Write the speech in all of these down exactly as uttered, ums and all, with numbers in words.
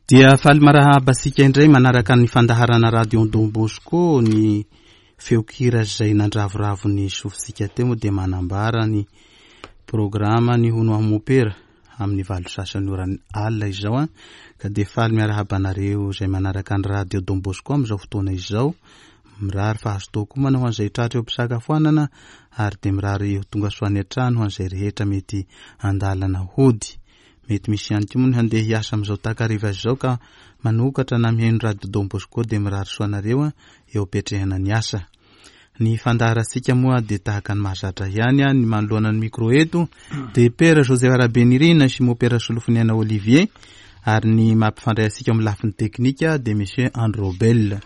Dia faly marahaba antsika indray manaraka ny fandaharana Radio Don Bosco. Ny feon-kira izay nandravoravo ny sofintsika teo moa dia manambara ny programa ny Hono Aho Mopera amin'ny valo sasany ora alina izao a. Ka dia faly miarahaba anareo izay manaraka ny Radio Don Bosco amin'izao fotoana izao. Mirary fahazotoa koa manao an'izay tratra eo am-pisakafoanana, ary dia mirary ho tonga soa any an-trano ho an'izay rehetra mety andalana hody. Mety misy ihany koa moa ny handeha hiasa amin'izao takariva izao ka manokatra na mihaino Radio Don Bosco, dia mirary soa anareo a eo am-piatrehana ny asa. Ny fandaharantsika moa dia tahaka ny mahazatra ihany a, ny manoloana ny micro eto dia Père Joseph Rabenirina sy Mopera Solofoniaina Olivier, ary ny mampifandray antsika amin'ny lafiny teknika dia Monsieur Androbel.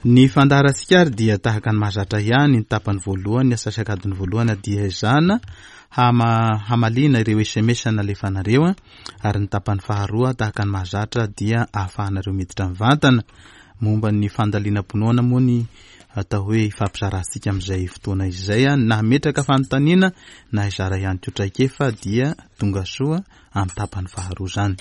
Ny fandaharantsika ary dia tahaka ny mahazatra ihany, ny tapany voalohany, ny asasakadiny voalohany dia ezahana hama-, hamaliana ireo S M S nalefanareo a, ary ny tapany faharoa tahaka ny mahazatra dia ahafahanareo miditra mivantana momba ny fandalinam-pinoana moa ny atao hoe ifampizarantsika amin'izay fotoana izay a, na hametraka fanontaniana na hizara ihany koa traikefa dia tonga soa amin'ny tapany faharoa izany.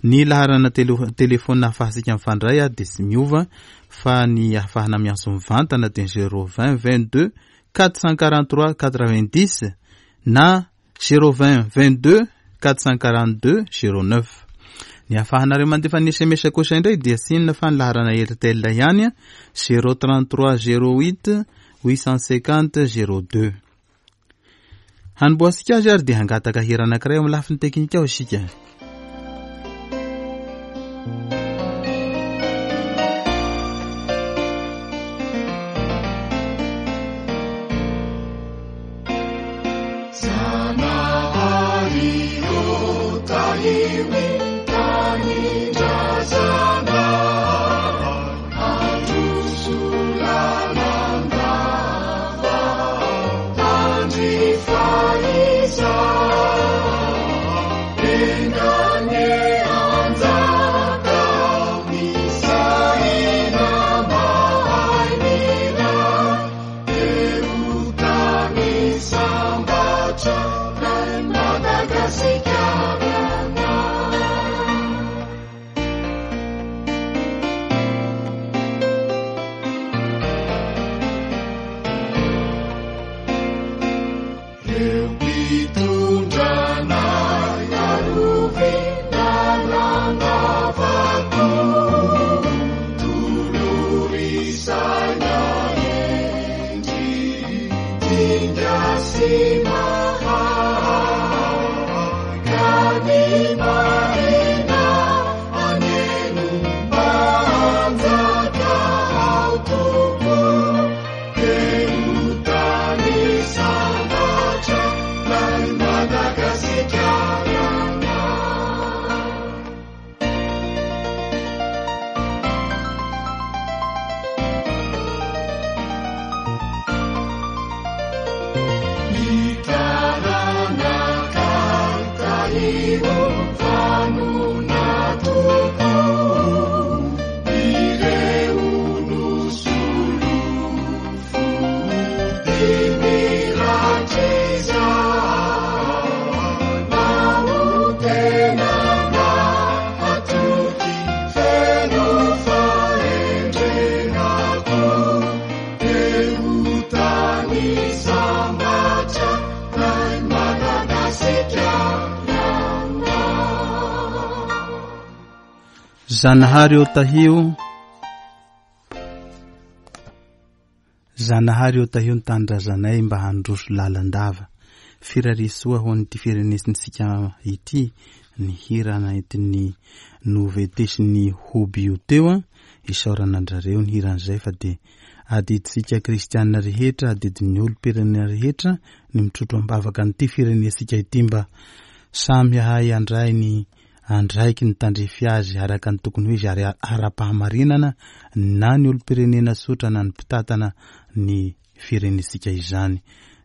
Ny laharana tele-, telefona ahafahantsika mifandray a dia tsy miova, fa ny ahafahana miantso mivantana dia zéro vingt vingt-deux quatre cent quarante-trois quatre-vingt-dix na zéro vingt vingt-deux quatre cent quarante-deux zéro neuf. Ny ahafahanareo mandefa ny S M S kosa indray dia tsy inona fa ny laharana Airtel ihany a, zéro trente-trois zéro huit huit cent cinquante zéro deux. Hanombohantsika azy ary dia hangataka hira anankiray eo amin'ny lafiny teknika ao isika. Zanahary eo tahio, Zanahary eo tahio ny tanindrazanay mba handroso lalandava. Firarisoa ho an'ity firenesintsika ity ny hira nentin'ny novetesin'ny Hoby io teo a, isaorana andrareo ny hiran'izay fa dia adidintsika kristianina rehetra, adidin'ny olom-pirenena rehetra ny mitrotro am-bavaka an'ity firenesika ity mba samy hahay handray ny andraiky ny tandrify azy araka ny tokony ho izy ary ara-pahamarinana na ny olom-pirenena tsotra na ny mpitantana ny firenesika izany.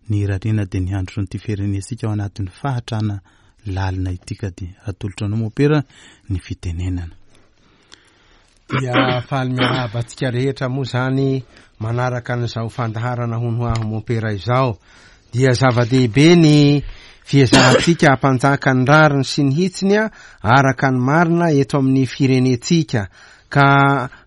Ny irariana dia ny handrosoan'ity firenesika ao anatin'ny fahatrana lalina ity ka dia atolotra anao mopera ny fitenenana. Dia faly miarahaba antsika rehetra moa zany manaraka an'izao fandaharana Hono Aho Mopera izao. Dia zava-dehibe ny fiezahantsika hampanjaka ny rariny sy ny hitsiny araka ny marina eto amin'ny firenentsika, ka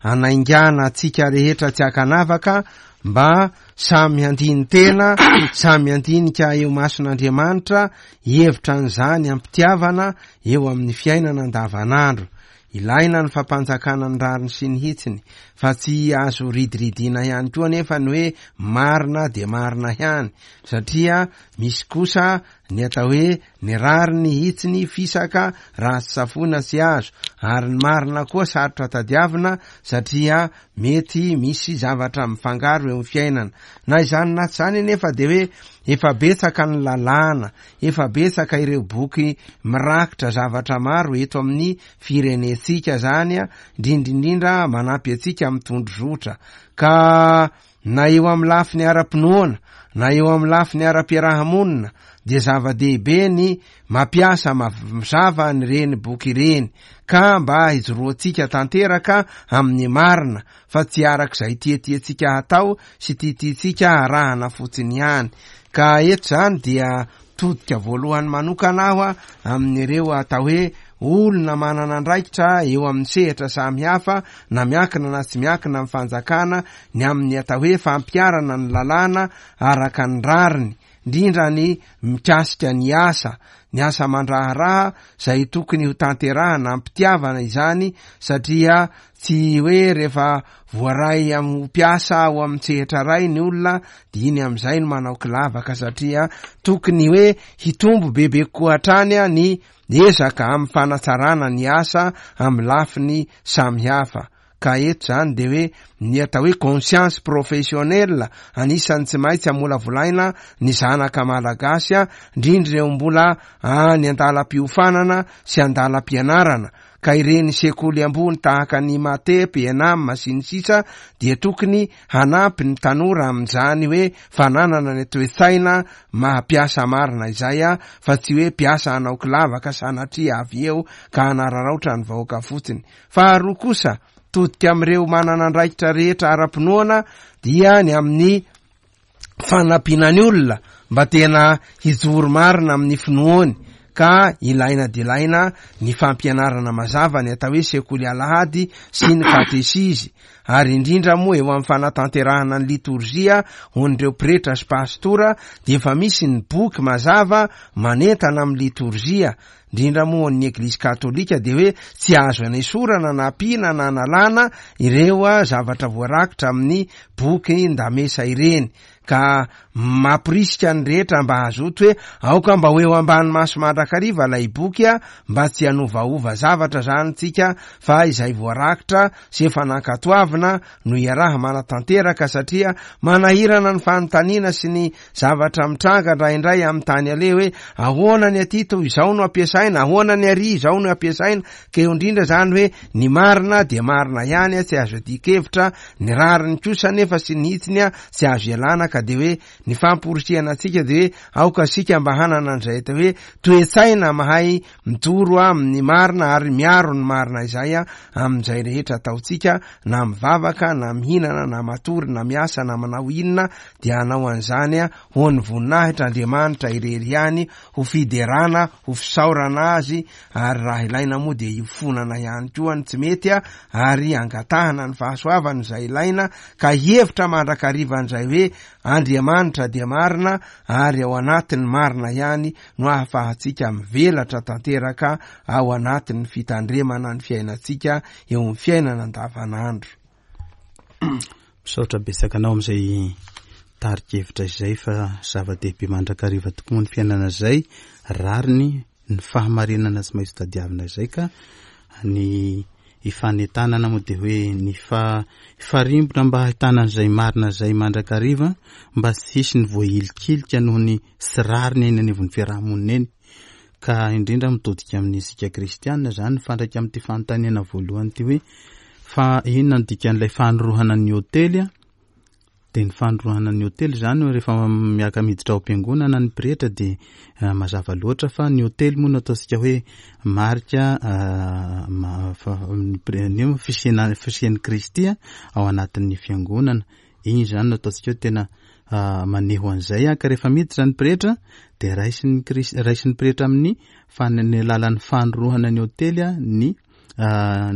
anaingana antsika rehetra tsy ankanavaka mba samy handini-tena, samy handinika eo mason'Andriamanitra, hevitra an'izany ampitiavana eo amin'ny fiainana andavanandro. Ilaina ny fampanjakana ny rariny sy ny hitsiny, fa tsy azo ridiridina ihany koa nefa ny hoe marina dia marina ihany, satria misy kosa ny atao hoe ny rariny hitsiny fisaka raha tsy safoina tsy azo, ary ny marina koa sarotra tadiavina satria mety misy zavatra mifangaro eo amin'ny fiainana. Na izany na tsy izany nefa dia hoe efa betsaka ny lalàna, efa betsaka ireo boky mirakitra zavatra maro eto amin'ny firenentsika zany, indrindrindrindra manampy antsika amin'ny tondrozotra. Ka na eo amin'ny lafiny ara-pinoana na eo amin'ny lafiny ara-piarahamonina dia zava-dehibe ny mampiasa mazava ny reny boky ireny, ka mba hijoroantsika tanteraka amin'ny marina, fa tsy arak'izay tiatiantsika hatao sy tiatiantsika arahana fotsiny ihany. Ka eto zany dia todika voalohany manokana aho amin'ireo atao hoe olona manana andraikitra eo amin'ny sehatra samihafa, na miankina na tsy miankina amin'ny fanjakana, ny amin'ny atao hoe fampiharana ny lalàna araka ny rariny, indrindra ny mikasika ny asa, ny asa mandraharaha izay tokony ho tanterahana ampitiavana izany, satria tsy hoe rehefa voaray amin'ny mpiasa ao amin'ny sehatra iray ny olona dia iny amin'izay no manao kilavaka, satria tokony hoe hitombo bebe kokoa hatrany ny ezaka amin'ny fanatsarana ny asa amin'ny lafiny samihafa. Ka eto zany dia hoe ny atao hoe conscience professionnelle anisan'ny tsy maintsy amolavolaina ny zanaka malagasy, indrindra ireo mbola any an-dalam-piofanana sy an-dalam-pianarana. Ka ireny sekoly ambony tahaka ny MATEP, ENAM sy ny sisa dia tokony hanampy ny tanora amin'izany hoe fananana ny toe-tsaina maha-mpiasa marina izay, fa tsy hoe mpiasa hanao kilavaka sanatria avy eo ka hanararaotra ny vahoaka fotsiny. Faharoa kosa, todika amin'ireo manana andraikitra rehetra ara-pinoana dia ny amin'ny fanampiana ny olona mba tena hijoro marina amin'ny finoany, ka ilaina dia ilaina ny fampianarana mazava ny atao hoe sekoly alahady sy ny katesizy, ary indrindra moa eo amin'ny fanatanterahana ny litorjia ho an'ireo pretra sy pastora dia efa misy ny boky mazava manentana amin'ny litorjia, indrindra moa ny Eglizy katolika dia hoe tsy azo anesorana na ampiana na analana ireo zavatra voarakitra amin'ny boky ndamesa ireny. Ka mampirisika ny rehetra mba hazoto hoe aoka mba ho eo ambany maso mandrakariva ilay boky, mba tsy hanovaova zavatra zany tsika, fa izay voarakitra sy efa nankatoavina no iaraha manatanteraka, satria manahirana ny fanontaniana sy ny zavatra mitranga indraindray amin'ny tany aleha hoe ahoana ny aty toy izao no ampiasaina, ahoana ny ary izao no ampiasaina. Ka eo indrindra zany hoe ny marina dia marina ihany, tsy azo adikevitra, ny rariny kosa nefa sy ny hitsiny tsy azo ialana. Ka dia hoe ny famporisihana antsika dia hoe aoka isika mba hanana an'izay atao hoe toe-tsaina mahay mijoro amin'ny marina ary miaro ny marina izay amin'izay rehetra ataontsika, na mivavaka na mihinana na matory na miasa na manao inona, dia hanao an'izany ho an'ny voninahitra Andriamanitra irery ihany, ho fiderana, ho fisaorana azy, ary raha ilaina moa dia hifonana ihany koa ny tsy mety, ary angatahana ny fahasoavana izay ilaina, ka hevitra mandrakariva an'izay hoe Andriamanitra dia marina, ary ao anatin'ny marina ihany no ahafahantsika mivelatra tanteraka ao anatin'ny fitandremana ny fiainantsika eo amin'ny fiainana andavanandro. Misaotra betsaka anao amin'izay tarikevitra izay, fa zava-dehibe mandrakariva tokoa ny fiainana izay, rariny ny fahamarinana tsy maintsy tadiavina izay. Ka ny ifanentanana moa dia hoe ny fa farimbona mba hahitana an'izay marina izay mandrakariva, mba tsy hisy ny voahilikilika noho ny tsy rariny eny anivon'ny fiarahamonina eny. Ka indrindra mitodika amin'ny isika kristianina zany, mifandraika amin'ity fanontaniana voalohany ity hoe fa inona no dikan'ilay fanorohana ny hôtely? Dia ny fanorohana ny hôtely zany rehefa miaka miditra ao am-piangonana ny pretra dia mazava loatra fa ny hôtely moa no ataontsika hoe marika fisiana fisian'i Kristy ao anatin'ny fiangonana. Iny zany no ataontsika hoe tena maneho an'izay a. Ka rehefa miditra ny pretra dia raisin'ny Kris-, raisin'ny pretra amin'ny fan-, ny alalan'ny fanorohana ny hôtely a, ny,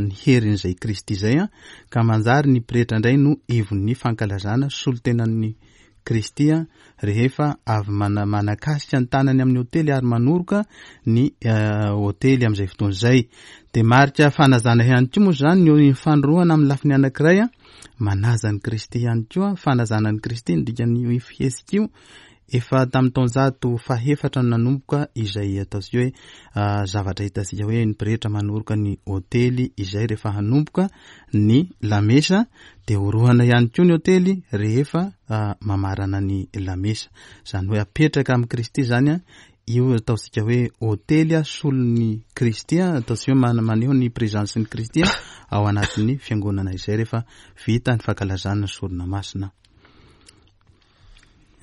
ny herin'izay Kristy izay a, ka manjary ny pretra indray no ivon'ny fankalazana solontenan'ny Kristy a, rehefa avy mana-, manakasika ny tanany amin'ny hôtely ary manoroka ny, eh, hôtely amin'izay fotoana izay. Dia marika fanazana ihany koa moa izany ny fanorohana amin'ny lafiny anankiray a, manaza an'i Kristy ihany koa, fanazana an'i Kristy ny dikan'io fihetsika io. Efa tamin'ny taonjato fahefatra no nanomboka izay ataontsika hoe, ah, zavatra hitantsika hoe ny pretra manoroka ny hôtely izay rehefa hanomboka ny lamesa, dia orohana ihany koa ny hôtely rehefa, ah, mamarana ny lamesa. Izany hoe apetraka amin'i Kristy izany a, io ataontsika hoe hôtely a, solon'ny Kristy a, ataontsika hoe mana-, maneho ny présence-n'i Kristy a, ao anatin'ny fiangonana izay rehefa vita ny fankalazana ny sorona masina.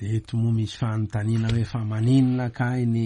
Eto moa misy fanontaniana hoe fa maninona kay ny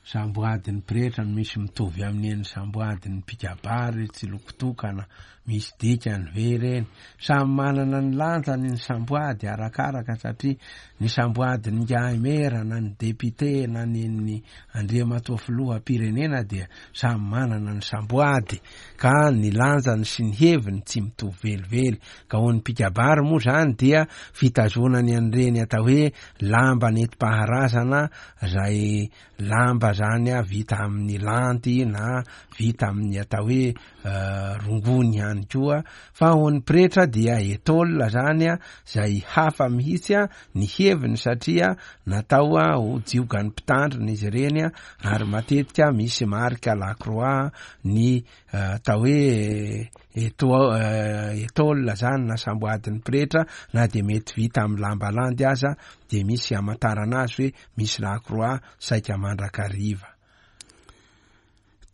samboadin'ny pretra no misy mitovy amin'ny eny samboadin'ny mpikabary tsy lokotokana, misy dikany ve ireny? Samy manana ny lanjany ny samboady arakaraka, satria ny samboadin'ny Ngaimera na ny député na ny ny Andriamatoa filoham-pirenena dia samy manana ny samboady, ka ny lanjany sy ny heviny tsy mitovy velively. Ka ho an'ny mpikabary moa zany dia fitazonany an'ireny atao hoe lamba nentim-paharazana, zay lamba zany a vita amin'ny lanty na vita amin'ny atao hoe, eh, rongony ihany koa. Fa ho an'ny pretra dia étole zany a, zay hafa mihitsy a ny heviny, satria natao a ho jiogan'ny mpitandrina izy ireny a, ary matetika misy marika la croix ny, eh, atao hoe eto-, eh, étole zany na samboadin'ny pretra, na dia mety vita amin'ny lamba landy aza dia misy amantarana azy hoe misy la croix saika mandrakariva.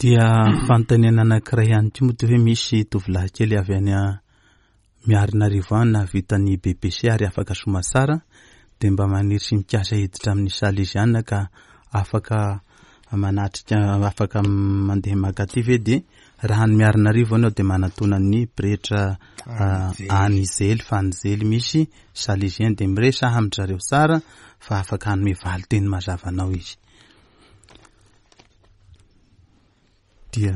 Dia fanontaniana anankiray ihany koa moa toy hoe misy tovolahy kely avy any a Miarinarivo any nahavita ny B P C ary afaka somasara, dia mba maniry sy mikasa hiditra amin'ny Salesiana ka afaka manatrika, afaka mandeha makaty ve? Dia raha ny Miarinarivo anao dia manatona ny pretra, ah, Anizely, fa Anizely misy Salesien, dia miresaha amin-dry zareo tsara fa afaka hanome valin-teny mazava anao izy. Dia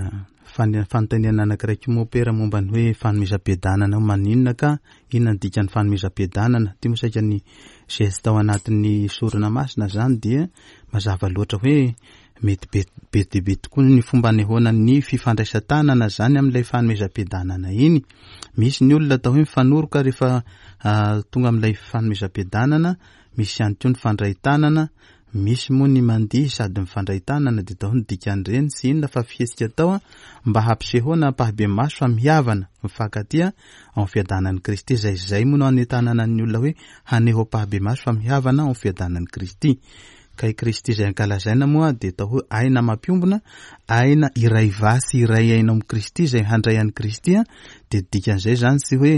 fane-, fanontaniana anankiray koa moa pera momba ny hoe fanomezam-piadanana, maninona ka inona ny dikan'ny fanomezam-piadanana? Ty moa saika ny geste ao anatin'ny sorona masina zany dia mazava loatra hoe mety be, be dia be tokoa ny fomba anehoana ny fifandraisan-tanana zany amin'ilay fanomezam-piadanana iny. Misy ny olona atao hoe mifanoroka rehefa, ah, tonga amin'ilay fanomezam-piadanana, misy ihany koa ny fandray tanana, misy moa ny mandihy sady mifandray tanana, dia atao ny dikan'ireny tsy inona fa fihetsika atao a, mba hampisehoana ampahibemaso fa mihavana, mifankatia ao amin'ny fiadanan'i Kristy. Izay izay moa no anentanana ny olona hoe haneho ampahibemaso fa mihavana ao amin'ny fiadanan'i Kristy. Ka i Kristy izay ankalazaina moa dia atao hoe aina mampiombona, aina iray vasy iray aina amin'i Kristy izay handray an'i Kristy a, dia dikan'izay zany tsy hoe,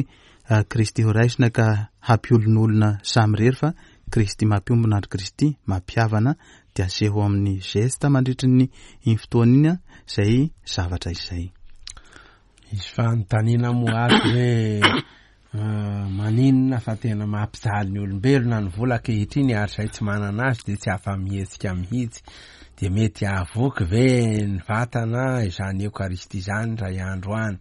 ah, Kristy ho raisina ka hampiolonolona samirery, fa Kristy mampiombona ary Kristy mampihavana, dia aseho amin'ny geste mandritry ny iny fotoana iny a, izay zavatra izay. Misy fanontaniana moa ato hoe, ah, maninona fa tena mampijaly ny olombelona ny vola ankehitriny ary izay tsy manana azy dia tsy afa-mihetsika mihitsy. Dia mety hahavoky ve ny vatana izany Eokaristia izany ray andro any?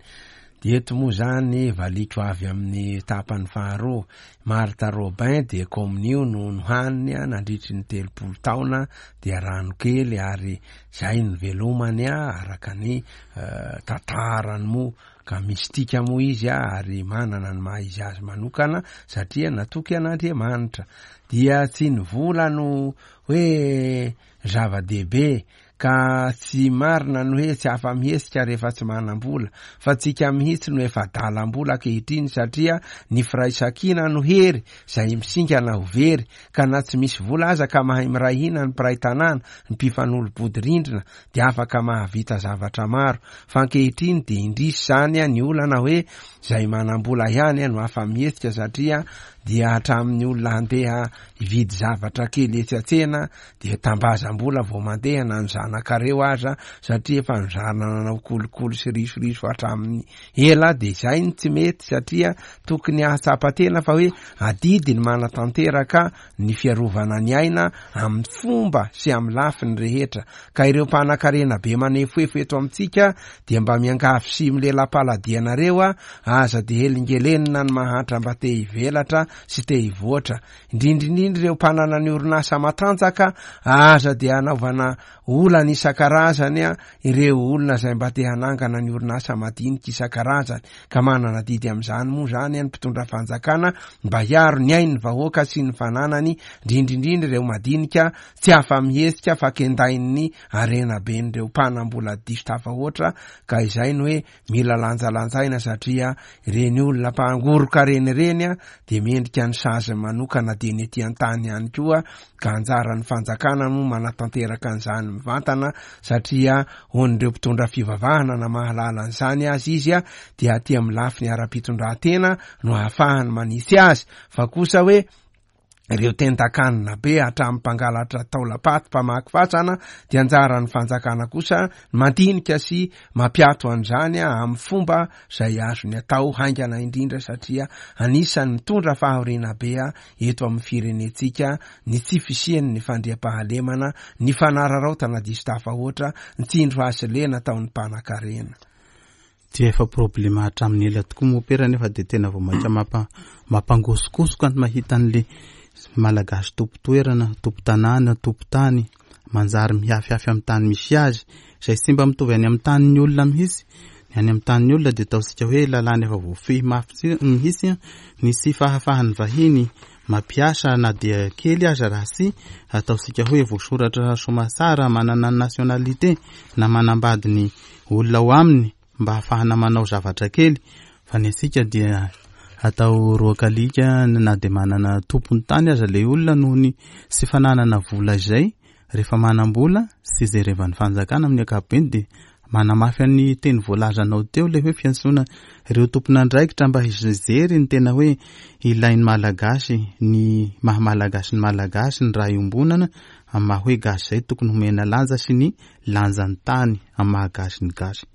Dia eto moa zany valiko avy amin'ny tapany faharoa. Martha Robin dia komonio no nohaniny a, nandritry ny telopolo taona, dia rano kely ary zay ny velomany a, araka ny, eh, tantarany moa, ka mistika moa izy a, ary manana ny maha izy azy manokana satria natoky an'Andriamanitra. Dia tsy ny vola no hoe zava-dehibe, ka tsy marina ny hoe tsy afa-mihetsika rehefa tsy manam-bola, fa tsika mihitsy no efa dalam-bola ankehitriny, satria ny firaisankina no hery izay misingana ho very, ka na tsy misy vola aza ka mahay miray hina ny mpiray tanàna, ny mpifanolo-body rindrina, dia afaka mahavita zavatra maro. Fa ankehitriny dia indrisy zany a, ny olana hoe izay manam-bola ihany a no afa-mihetsika, satria dia hatramin'ny olona handeha hividy zavatra kely etsy an-tsena dia tambazam-bola vao mandeha na ny zanaka zanakareo aza satria efa nizarina nanao kolikoly sy risoriso hatramin'ny ela. De izay ny tsy mety satria tokony hahatsapa-tena fa hoe adidy ny manatanteraka ny fiarovana ny aina amin'ny fomba sy amin'ny lafiny rehetra. Ka ireo mpanan-karena be manefoefo eto amintsika dia mba miangavy sy milela-paladianareo a, aza de helingelenina ny mahantra mba te hivelatra sy te hivoatra, indrindrindrindra ireo mpanana ny orinasa matanjaka, aza de anaovana olana isan-karazany a ireo olona izay mba te hanangana ny orinasa madinika isan-karazany. Ka manana didy amin'izany moa zany ny mpitondra fanjakana mba hiaro ny ain'ny vahoaka sy ny fananany, indrindrindrindra ireo madinika tsy afa-mihetsika fa kendain'ny harena ben'ireo mpanam-bola diso tafahoatra. Ka izay no hoe mila lanjalanjaina satria ireny olona mpangoroka-reny ireny a de mendrika ny sazy manokana dia ny ety an-tany ihany koa. Ka anjaran'ny fanjakana no manatanteraka an'izany mivantana satria hoan'ireo mpitondra fivavahana na mahalala an'izany azy izy a dia aty amin'ny lafiny ara-pitondran-tena no ahafahany manisy azy, fa kosa hoe ireo tendakanina be hatramin'ny mpangalatra taolam-paty mpamaky fasana dia anjaran'ny fanjakana kosa mandinika sy mampiato an'izany amin'ny fomba izay azony atao haingana indrindra satria anisan'ny mitondra fahoriana be eto amin'ny firenentsika ny tsy fisian'ny fandriampahalemana, ny fanararaotana diso tafahoatra, ny tsindry hazo lena ataon'ny mpanan-karena. Dia efa problema hatramin'ny ela tokoa mopera, nefa dia tena vao mainka mampa mampangosokosoka ny mahita an'le Malagasy tompo-toerana, tompo-tanàna, tompo-tany manjary mihafiafy amin'ny tany misy azy, izay tsy mba mitovy any amin'ny tanin'ny olona mihitsy. Ny any amin'ny tanin'ny olona dia ataontsika hoe lalàna efa voafehy mafy mihitsy ny tsy fahafahan'ny vahiny mampiasa na dia kely aza raha tsy ataontsika hoe voasoratra somatsara, manana ny nationalité na manambady ny olona ao aminy mba hahafahana manao zavatra kely. Fa ny antsika dia atao roakalika na dia manana tompony tany aza le olona noho ny tsy fananana vola izay. Rehefa manam-bola sy jerevan'ny fanjakana amin'ny ankapobeny dia manamafy any teny voalazanao teo le hoe fiantsoana ireo tompon'andraikitra mba hijery ny tena hoe ilain'ny Malagasy, ny maha Malagasy ny Malagasy, ny raha iombonana amin'ny maha hoe gasy izay tokony homena lanja sy ny lanjan'ny tany amin'ny maha gasy ny gasy.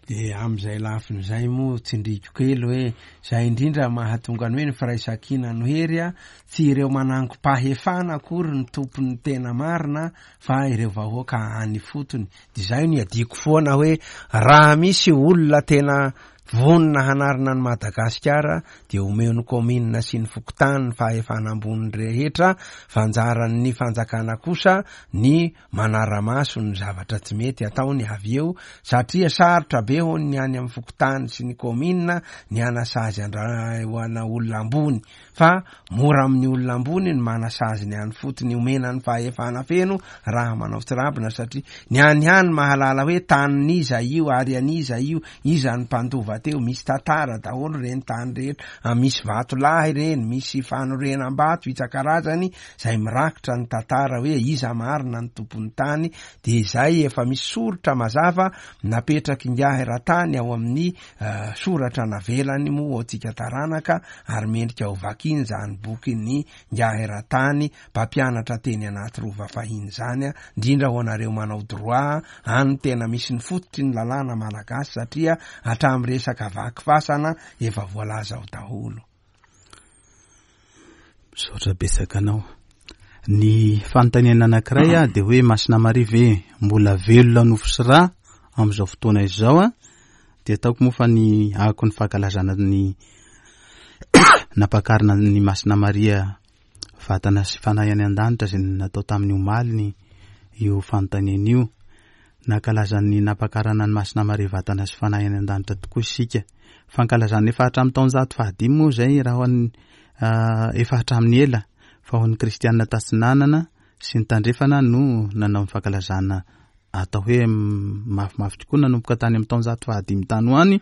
De amin'izay lafin'izay moa tsindriko kely hoe zay indrindra mahatonga ny hoe ny firaisankina no hery a, tsy ireo manangom-pahefana akory ny tompon'ny tena marina fa ireo vahoaka any fotony. De zay no iadiako foana hoe raha misy olona tena vonona hanarina ny Madagasikara dia omeo ny kaominina sy ny fokontany ny fahefana ambony rehetra, fa anjaran'ny fanjakana kosa ny manara-maso ny zavatra tsy mety ataony avy eo, satria sarotra be hono ny any amin'ny fokontany sy ny kaominina ny anasazy andra ho ana olona ambony, fa mora amin'ny olona ambony ny manasazy ny any fotony, omena ny fahefana feno raha manao tsirambina, satria ny any hany mahalala hoe tanin'iza io ary an'iza io, iza ny mpandova teo, misy tantara daholo reny tany rehetra, misy vato lahy reny, misy fanorenam-bato isan-karazany zay mirakitra ny tantara hoe iza marina ny tompon'ny tany. De izay efa misy soritra mazava napetraky ingahy Ratany ao amin'ny uh, soratra navelany moa antsika taranaka, ary mendrika ho vakiny zany boky ny ingahy Ratany mpampianatra teny anaty rova fahiny zany, indrindra ho anareo manao droit any tena misy ny fototry ny lalàna malagasy, satria hatramin'ny resaka vaky fasana efa voalaza ao daholo. Misaotra betsaka anao. Ny fanontaniana anankiray a dia hoe Masina Maria ve mbola velona nofo sy rà amin'izao fotoana izao a? Dia ataoko moa fa ny ako ny fankalazana ny nampakarina ny Masina Maria vatana sy fanahy any an-danitra izay natao tamin'ny omaly ny io fanontaniana io. Nankalazan'ny nampakarana ny Masina Maria vatana sy fanahy any an-danitra tokoa isika. Fankalazana efa hatramin'ny taonjato fahadimy moa izay raha ho an'ny efa hatramin'ny ela, fa ho an'ny kristianina tatsinanana sy ny tandrefana no nanao ny fankalazana atao hoe mafimafy tokoa nanomboka tany amin'ny taonjato fahadimy tany ho any.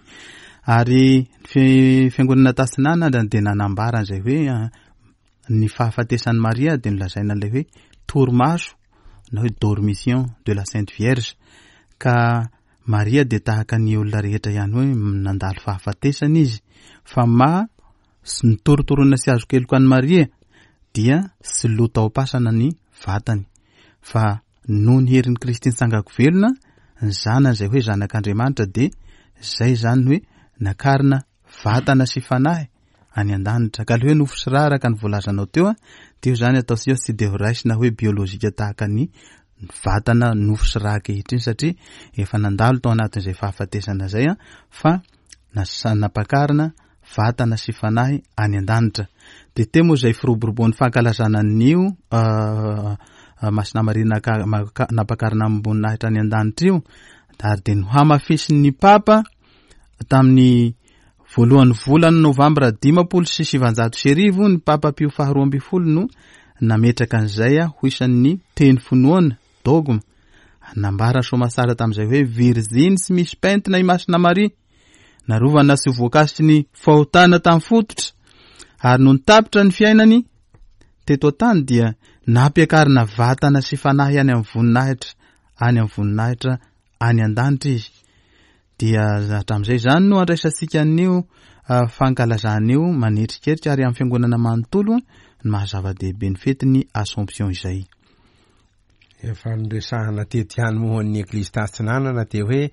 Ary ny fiangonana tatsinanana dia nanambara an'izay hoe ny fahafatesan'i Maria dia nolazaina ilay hoe torimaso na hoe dormition de la Sainte Vierge, ka Maria dia tahaka ny olona rehetra ihany hoe nandalo fahafatesana izy, fa ma ny torotorona sy azo keloka an'i Maria dia sy lo tao am-pasana ny vatany, Fa noho ny herin'i Kristy nitsangako velona, ny zanany izay hoe zanak'Andriamanitra dia izay izany hoe nakarina vatana sy fanahy any an-danitra. Ka le hoe nofo sy rà araka ny voalazanao teo, dia io izany ataontsika hoe tsy dia ho raisina hoe biolojika tahaka ny vatana nofo sy rà ankehitriny, satria efa nandalo tao anatin'izay fahafatesana izay, fa nampakarina vatana sy fanahy any an-danitra. Dia teo moa izay firoboroboan'ny fankalazana an'io Masina Maria nampakarina amim-boninahitra any an-danitra io, ary dia nohamafisin'ny Papa tamin'ny voalohan'ny volana novambra dimampolo sy sivanjato sy arivo ny Papa Pio faharoa ambin'ny folo no nametraka an'izay ho isan'ny teny finoana, dogma. Nambara soamasara tamin'izay hoe virjiny sy misy pentina i Masina Maria, narovana sy voakasiky ny fahotana tamin'ny fototra, ary nony tapitra ny fiainany teto an-tany dia nampiakarina vatana sy fanahy any amin'ny voninahitra, any amin'ny voninahitra any an-danitra izy. Dia hatramin'izay izany no andraisantsika an'io fankalazana io manetrikerika ary amin'ny fiangonana manontolo ny maha zava-dehibe ny fetin'ny Assomption izay. Efa noresahana teto ihany moa ny Eglizy Tatsinanana dia hoe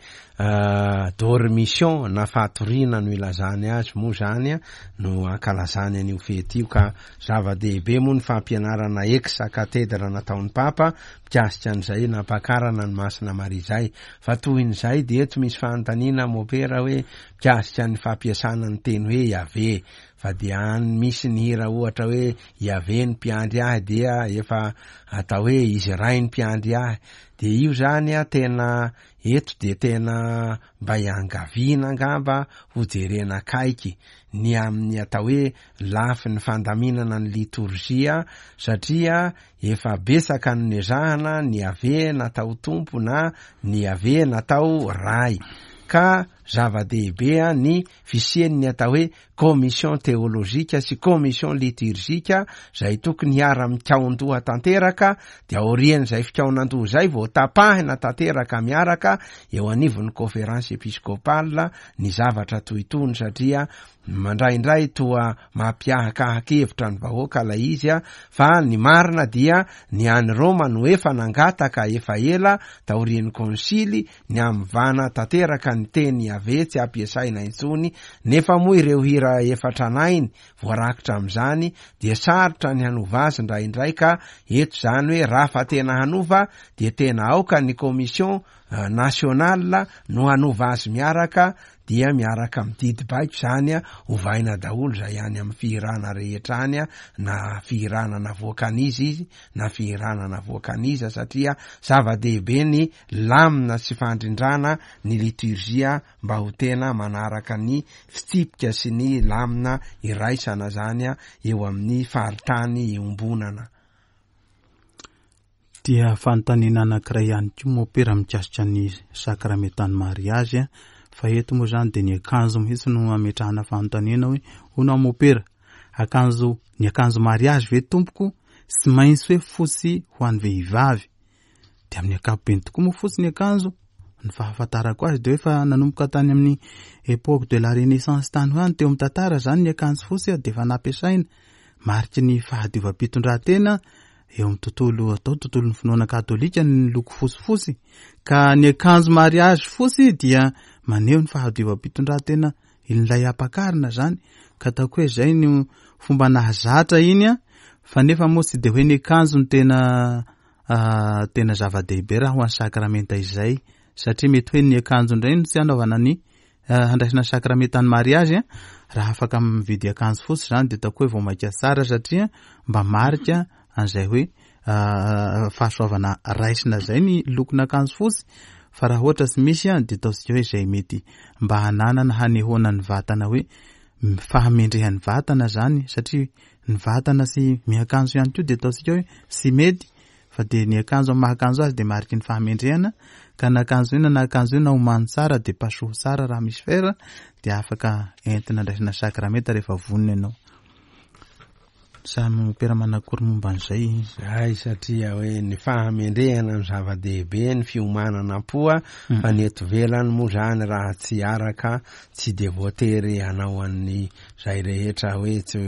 dormition na fatoriana no ilazany azy moa zany no ankalazany an'io fety io, ka zava-dehibe moa ny fampianarana ex cathedra nataon'ny Papa mikasika an'izay nampakarana ny Masina Maria izay. Fa tohin'izay dia eto misy fanontaniana mopera hoe mikasika ny fampiasana ny teny hoe Yaveh, fa dia any misy ny hira ohatra hoe Yaveh ny mpiandry ahy dia efa atao hoe izy ray ny mpiandry ahy, dia io zany a tena eto dia tena mba iangaviana angamba ho jerena akaiky ny amin'ny atao hoe lafiny fandaminana ny litorjia, satria efa betsaka ny nezahana ny Yaveh natao tompo na ny Yaveh natao ray, ka zava-dehibe ny fisian'ny atao hoe commission théologique sy commission liturgique izay tokony hiara-mikaon-doha tanteraka, dia aorian'izay fikaonan-doha izay vao tapahina tanteraka miaraka eo anivon'ny conférence épiscopale ny zavatra toy itony, satria mandraindray toa mampiahakahakevitra ny vahoaka ilay izy a, fa ny marina dia ny any Roma no efa nangataka efa ela taorian'ny konsily ny amivana tanteraka ny teny Yaveh tsy ampiasaina intsony, nefa moa ireo hira efa tranainy voarakitra amin'izany dia sarotra ny hanova azy indraindray, ka eto izany hoe raha fa tena hanova dia tena aoka ny commission nationale no hanova azy miaraka, dia miaraka mididy baiko izany a, ovaina daholo izay any amin'ny fihirana rehetra any a, na fihirana navoakan'izy izy na fihirana navoakan'iza, satria zava-dehibe ny lamina sy fandrindrana ny liturgia mba ho tena manaraka ny fitsipika sy ny lamina iraisana zany a eo amin'ny faritany iombonana. Dia fanontaniana anankiray ihany koa mopera mikasika ny sakramentan'ny mariazy a, fa eto moa zany dia ny akanjo mihitsy no ametrahana fanontaniana hoe hono mopera, akanjo, ny akanjo mariazy ve tompoko tsy maintsy hoe fotsy ho an'ny vehivavy? Dia amin'ny ankapobeny tokoa moa fotsy ny akanjo, ny fahafantarako azy dia hoe efa nanomboka tany amin'ny époque de la Renaissance tany ho any teo amin'ny tantara zany ny akanjo fotsy dia efa nampiasaina, mariky ny fahadiovam-pitondran-tena eo amin'ny tontolo atao tontolon'ny finoana katolika ny loko fotsifotsy, ka ny akanjo mariazy fotsy dia maneho ny fahadiovam-pitondran-tena ilay ampakarina zany, ka ataoko hoe zay ny fomba nahazatra iny a, fa nefa moa tsy dia hoe ny akanjo no tena tena zava-dehibe raha ho an'ny sakramenta izay, satria mety hoe ny akanjo indray no tsy hanaovana ny handraisana sakramentan'ny mariazy a, raha afaka mividy akanjo fotsy zany dia ataoko hoe vao mainka tsara, satria mba marika an'izay hoe fahasoavana raisina zay ny lokon'akanjo fotsy, fa raha ohatra tsy misy a dia ataontsika hoe izay mety mba hananana hanehoana ny vatana hoe fahamendrehan'ny vatana zany, satria ny vatana sy miakanjo ihany koa dia ataontsika hoe tsy mety, fa dia ny akanjo amin'ny maha akanjo azy dia mariky ny fahamendrehana, ka na akanjo inona na akanjo inona omano tsara dia pasoho tsara raha misy fera dia afaka entina andraisana sakramenta rehefa vonona ianao. Samy mopera manakory momba an'izay. Zay satria hoe ny fahamendrehana ny zava-dehibe, ny fiomanana am-poa, fa ny eto ivelany moa zany raha tsy araka tsy de voatery hanao an'ny zay rehetra hoe tsy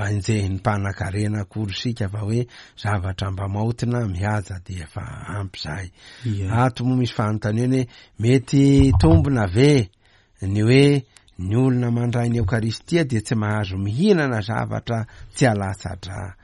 enjehin'ny mpanan-karena akory sika, fa hoe zavatra mba maotina mihaja de efa ampy zay. Ato moa misy fanontaniana hoe mety tombona ve ny hoe ny olona mandray ny Eokaristia dia tsy mahazo mihinana zavatra tsy alatsa-drà.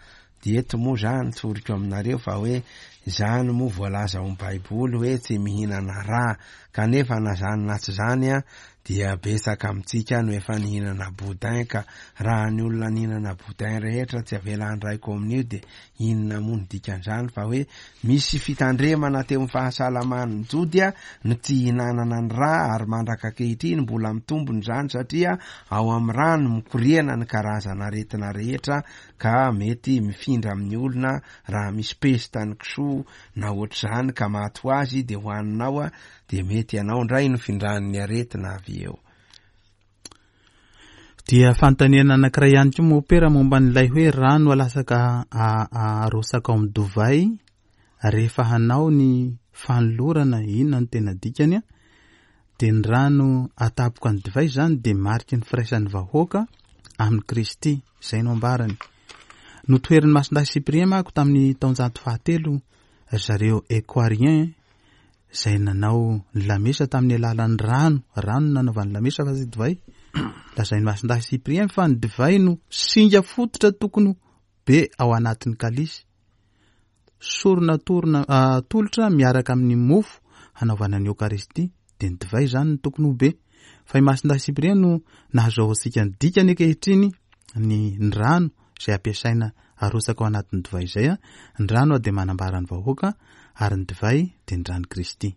Dia eto moa zany tsoriko aminareo fa hoe zany moa voalaza ao amin'ny Baiboly hoe tsy mihinana rà, kanefa na zany na tsy zany a dia betsaka amintsika no efa nihinana boudin, ka raha ny olona nihinana boudin rehetra tsy avela handray komonio dia inona moa ny dikan'izany? Fa hoe misy fitandremana teo amin'ny fahasalaman'ny Jody a no tsy hihinanana ny rà, ary mandraka ankehitriny mbola mitombony izany satria ao amin'ny rà no mikoriana ny karazana aretina rehetra, ka mety mifindra amin'ny olona raha misy pesta ny kisoa na ohatr'izany ka maty ho azy dia hohaninao a dia mety ianao indray no findran'ny aretina avy eo. Dia fanontaniana anankiray ihany koa mopera momba an'ilay hoe rano alasaka arosaka ao amin'ny divay rehefa hanao ny fanolorana, inona no tena dikany a? Dia ny rano atapoka ny divay zany dia mariky ny firaisan'ny vahoaka amin'i Kristy, izay no ambarany. Notoherin'ny Masindahy Cyprien manko tamin'ny taonjato fahatelo ry zareo Equarien izay nanao ny lamesa tamin'ny alalan'ny rano, rano nanaovan'ny lamesa fa tsy divay. Lazain'ny Masindahy Cyprien fa ny divay no singa fototra tokony be ao anatin'ny kalisy. Sorona torona, atolotra miaraka amin'ny mofo hanaovana ny Eokaristia, dia ny divay zany no tokony ho be. Fa i Masindahy Cyprien no nahazoantsika ny dikany ankehitriny ny, ny rano izay ampiasaina arosaka ao anatin'ny divay izay a. Ny rano dia manambara ny vahoaka ary ny divay dia ny rano Kristy.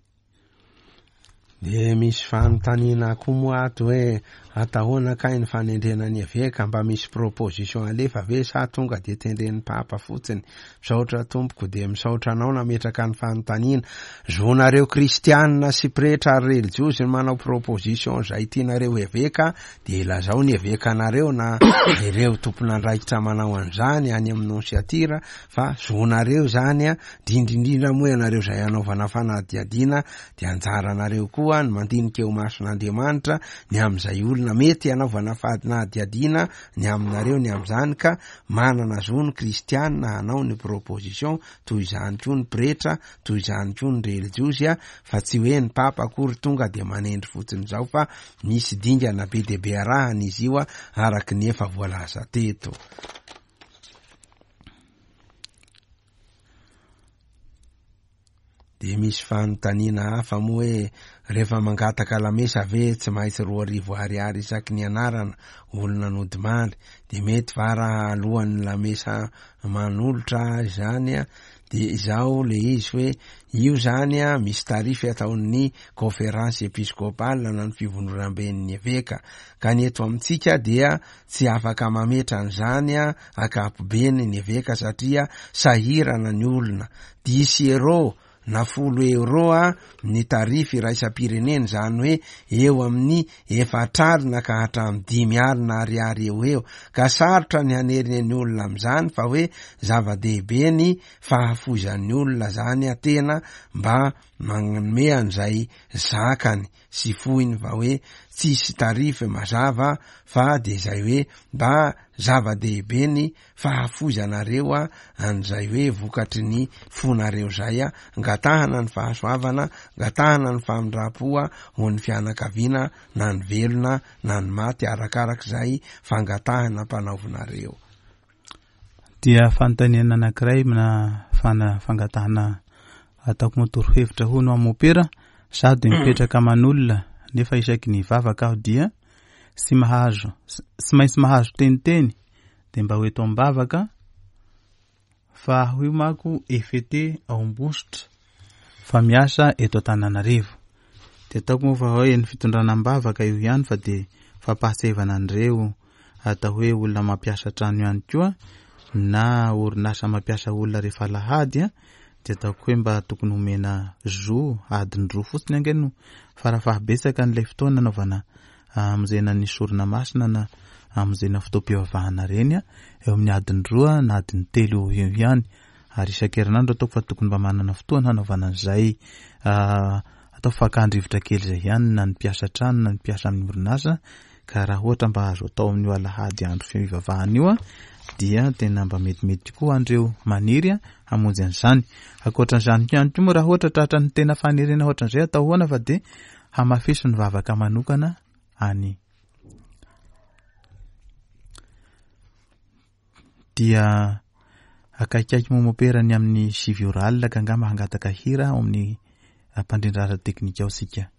Dia misy fanontaniana koa moa ato hoe atahoana kay ny fanendrena ny eveka, mba misy proposition alefa ve sa tonga dia tendren'ny papa fotsiny? Misaotra tompoko, dia misaotra anao nametraka ny fanontaniana. Zonareo kristianina sy pretra ary relijiozy ny manao proposition izay tianareo eveka, dia ilazao ny evekanareo na ireo tompon'andraikitra manao an'izany any amin'ny nonsiatira, fa zonareo zany a, indrindrindrindra moa ianareo izay hanaovana fanadihadiana dia anjaranareo koa ny mandinika eo mason'Andriamanitra ny amin'izay olona mety hanaovana fanadihadiana ny aminareo ny amin'izany, ka manana zo ny kristianina hanao ny proposition, toy izany koa ny pretra, toy izany koa ny relijiozy a, fa tsy hoe ny papa akory tonga dia manendry fotsiny izao, fa misy dingana be dia be arahana izy io a, araka ny efa voalaza teto. Dia misy fanontaniana hafa moa hoe rehefa mangataka lamesa ve tsy maintsy roa arivo ariary isaky ny anarana olona nodimandry, dia mety va raha alohan'ny lamesa manolotra izany a? Dia izao le izy hoe io zany a misy tarify ataon'ny conférence épiscopale na ny fivondronamben'ny eveka, ka ny eto amintsika dia tsy afaka mametra an'izany a ankapobeny ny eveka satria sahirana ny olona. Dix euro na folo euro a ny tarify iraisam-pirenena, izany hoe eo amin'ny efatra alina ka hatramin'ny dimy alina ariary eo eo, ka sarotra ny haneriny ny olona amin'izany, fa hoe zava-dehibe ny fahafoizan'ny olona zany a tena mba manome an'izay zakany sy foiny, fa hoe tsisy tarify mazava, fa de izay hoe mba zava-dehibe ny fahafoizanareo a an'izay hoe vokatry ny fonareo zay a, angatahana ny fahasoavana, angatahana ny famindram-po a ho an'ny fianakaviana na ny velona na ny maty, arakarak'izay fangatahana ampanaovinareo. Dia fanontaniana anankiray na fana-, fangatahana ataoko moa torohevitra hono amin'ny mopera, sady mipetraka aman'olona nefa isaky ny vavaka aho dia tsy mahazo, tsy maintsy mahazo teniteny, dia mba ho eto am-bavaka, fa aho io manko F T ao Ambositra fa miasa eto Antananarivo. Dia ataoko moa fa hoe ny fitondrana am-bavaka io ihany, fa dia fampahatsiahivana an'ireo atao hoe olona mampiasa trano ihany koa na orinasa mampiasa olona rehefa alahady a, dia ataoko hoe mba tokony homena zo adiny roa fotsiny ange no farafahabetsaka an'ilay fotoana nanaovana amonjena ny sorona masina na amin'izay fotoam-pivavahana reny a, eo amin'ny adiny roa na adiny telo eo ihany, ary isan-kerinandro ataoko fa tokony mba manana fotoana hanaovana an'izay, atao fakan-drivotra kely izay ihany na ny mpiasa trano na ny mpiasa amin'ny orinasa, ka raha ohatra mba azo atao amin'io alahady andro fivavahana io a, dia tena mba metimety koa andreo maniry a hamonjy an'izany. Ankoatran'izany ihany koa moa raha ohatra tratra ny tena faniriana ohatran'izay atao ahoana fa dia hamafiso ny vavaka manokana any. Dia akaikaiky momopera ny amin'ny sivy ora alina ka angamba hangataka hira ao amin'ny mpandrindra ara-teknika ao sika.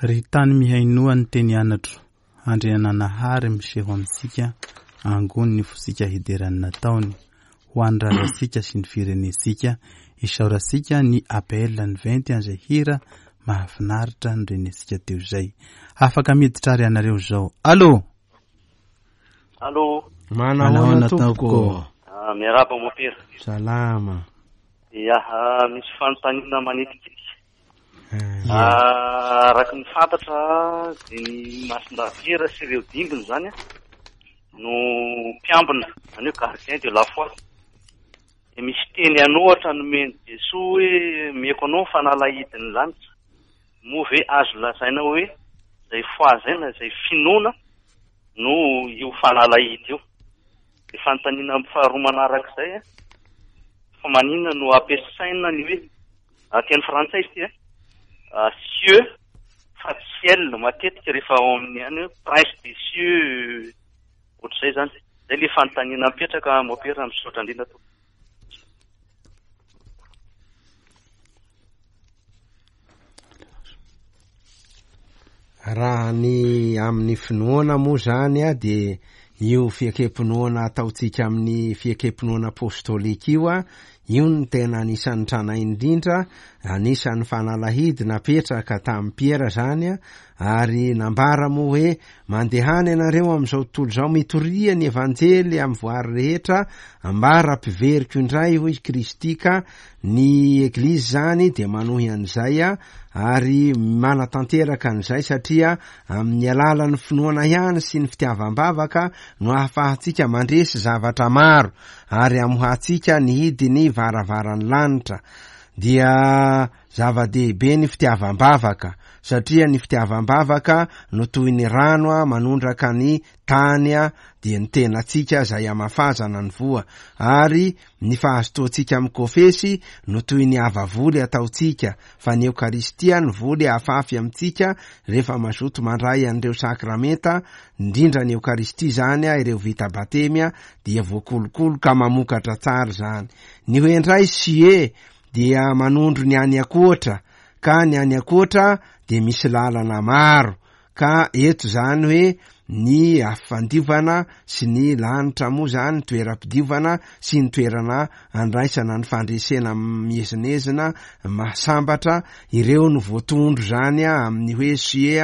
Ry tany mihainoa ny teny anatro, Andriananahary miseho amintsika, angony ny fosika hiderany nataony, ho an'ny razantsika sy ny firenentsika, isaorantsika ny A P L ny venty an'izay hira mahafinaritra ny renentsika teo izay. Afaka miditra ary ianareo izao. Allô? Allô? Manahoana tompoko? Ah, miarahaba mopera. Salama. Ya, misy fanontaniana manitikitika. Araka ny fantatra dia ny Masindahy sy ireo dimbiny zany no mpiambina, zany hoe gardien de la foi. Dia misy teny an'ohatra nomen'i Jesoa hoe mieko anao ny fanalahidin'ny lanitra. Moa ve azo lazaina hoe izay foi izay na izay finoana no io fanalahidy io? Dia fanontaniana faharoa manarak'izay, fa maninona no ampiasaina ny hoe teny frantsay izy ity a, cieux fa ciel matetika rehefa ao amin'ny any hoe prince des cieux ohatr'izay zany. Zay le fanontaniana mipetraka mopera, misaotra indrindra tompoko. Raha ny amin'ny finoana moa zany a, dia io fiekempinoana ataontsika amin'ny fiekempinoana apostolika io a, io no tena anisan'ny tranainy indrindra, anisan'ny fanalahidy napetraka tamin'ny Piera zany a, ary nambara moa hoe mandehana ianareo amin'izao tontolo izao, mitoria ny evanjely amin'ny voary rehetra, ambara mpiveriko indray hoy Kristy. Ka ny eglizy zany dia manohy an'izay a, ary manatanteraka an'izay, satria amin'ny alalan'ny finoana ihany sy ny fitiavam-bavaka no ahafahantsika mandresy zavatra maro ary amohantsika ny hidiny varavaran'ny lanitra. Dia zava-dehibe ny fitiavam-bavaka, satria ny fitiavam-bavaka no toy ny rano a manondraka ny tany a, dia ny tenatsika izay amafazana ny voa, ary ny fahazotoantsika amin'ny kofesy no toy ny avavoly ataontsika, fa ny Eokaristia ny voly afafy amintsika rehefa mazoto mandray an'ireo sakramenta, indrindra ny Eokaristia zany a, ireo vita batemy a, dia voakolokolo ka mamokatra tsara zany. Ny hoe indray sie dia manondro ny any ankoatra, ka ny any ankoatra dia misy lalana maro, ka eto zany hoe ny afandiovana sy ny lanitra moa zany, toeram-pidiovana sy ny toerana andraisana ny fandresena miezinezina mahasambatra, ireo no voatondro zany a amin'ny hoe sie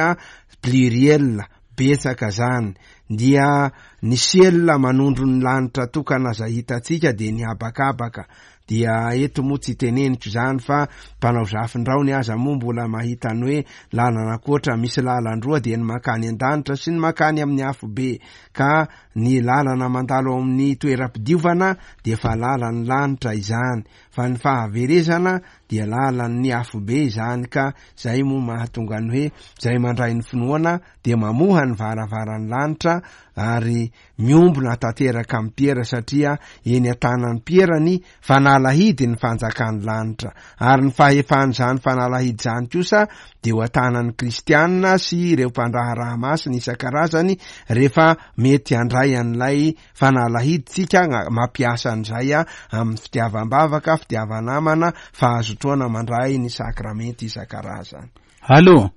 pluriel betsaka zany. Dia ny ciel manondro ny lanitra tokana izay hitantsika dia ny habakabaka. Dia eto moa tsy teneniko zany fa mpanao zafindraony aza moa mbola mahita ny hoe lalana ankoatra, misy lalan-droa dia ny makany an-danitra sy ny makany amin'ny afobe, ka ny lalana mandalo ao amin'ny toeram-pidiovana dia fa lalan'ny lanitra izany, fa ny fahaverezana dia lalan'ny afobe izany. Ka zay moa mahatonga ny hoe zay mandray ny finoana dia mamoha ny varavaran'ny lanitra ary miombona tanteraka amin'ny Piera, satria eny an-tanan'ny Piera ny fanalahidy ny fanjakan'ny lanitra, ary ny fahefan'izany fanalahidy izany kosa dia ho an-tanan'ny kristianina sy ireo mpandraharaha masina isan-karazany rehefa mety handray an'ilay fanalahiditsika, mampiasa an'izay a amin'ny fitiavam-bavaka, fitiavanamana, fahazotoana mandray ny sakramenta isan-karazany. Allô.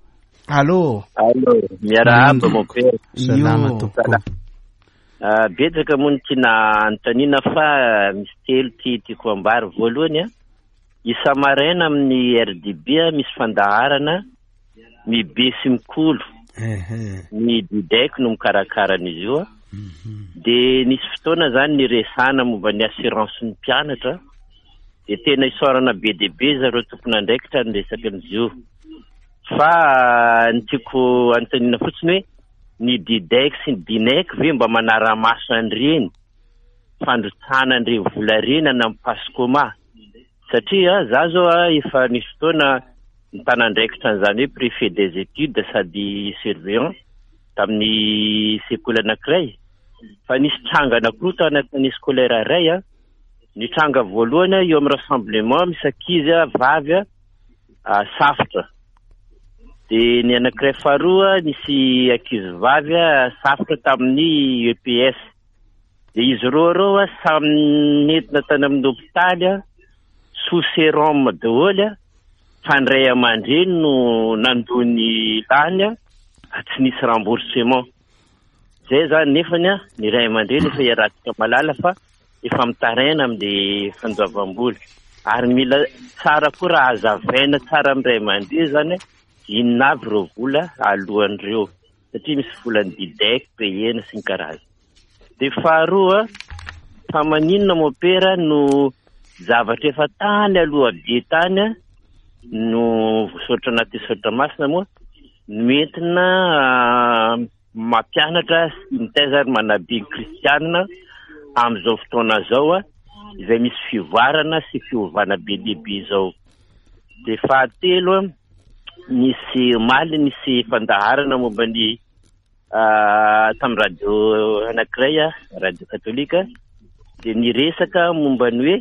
Allô. Allô, miarahaba mopera. Salama tompoko. Betsaka moa ny tiana anontaniana fa misy telo ty tiako ambara. Voalohany a, isa-maraina amin'ny R D B a, misy fandaharana mibe sy mikolo. Ny Didec no mikarakara an'izy io a. Dia nisy fotoana zany niresahana momba ny assurance ny mpianatra. Dia tena isaorana be dia be zareo tompon'andraikitra niresaka amin'izy io. Fa ny tiako anontaniana fotsiny hoe ny Didec sy ny Dinec ve mba manara-maso an'ireny fandrotsahana an'ireny vola ireny any amin'ny Pascoma? Satria za zao a, efa nisy fotoana nitanandraikitra an'izany hoe préfet des études sady surveillant tamin'ny sekoly anankiray, fa nisy tranga anankiroa tao anatin'ny scolaire iray a. Ny tranga voalohany eo amin'ny rassemblement misy ankizy a, vavy a, safotra. Dia ny anankiray faharoa nisy ankizy vavy a, safotra tamin'ny E P S. Dia izy roa ireo a, samy nentina tany amin'ny hôpitaly a, sous sérum daholo a, fa ny ray aman-dreny no nandoa ny lany a, tsy nisy remboursement. Zay zany nefany a, ny ray aman-dreny efa iarahantsika mahalala fa efa mitaraina amin'ilay fandoavam-bola. Ary mila tsara koa raha hazavaina tsara amin'ny ray aman-dreny zany inona avy ireo vola alohan'ireo, satria misy volan'ny Didec payena sy ny karazany. Dia faharoa, fa maninona mopera no zavatra efa tany aloha be tany no voasoratra anaty soratra masina moa no entina mampianatra sy mitaiza ary manabe ny kristianina amin'izao fotoana izao a, izay misy fivoarana sy fiovana be lehibe izao. Dia fahatelo, nisy omaly nisy fandaharana momba ny tamin'ny radio anankiray, radio katolika, dia niresaka momba ny hoe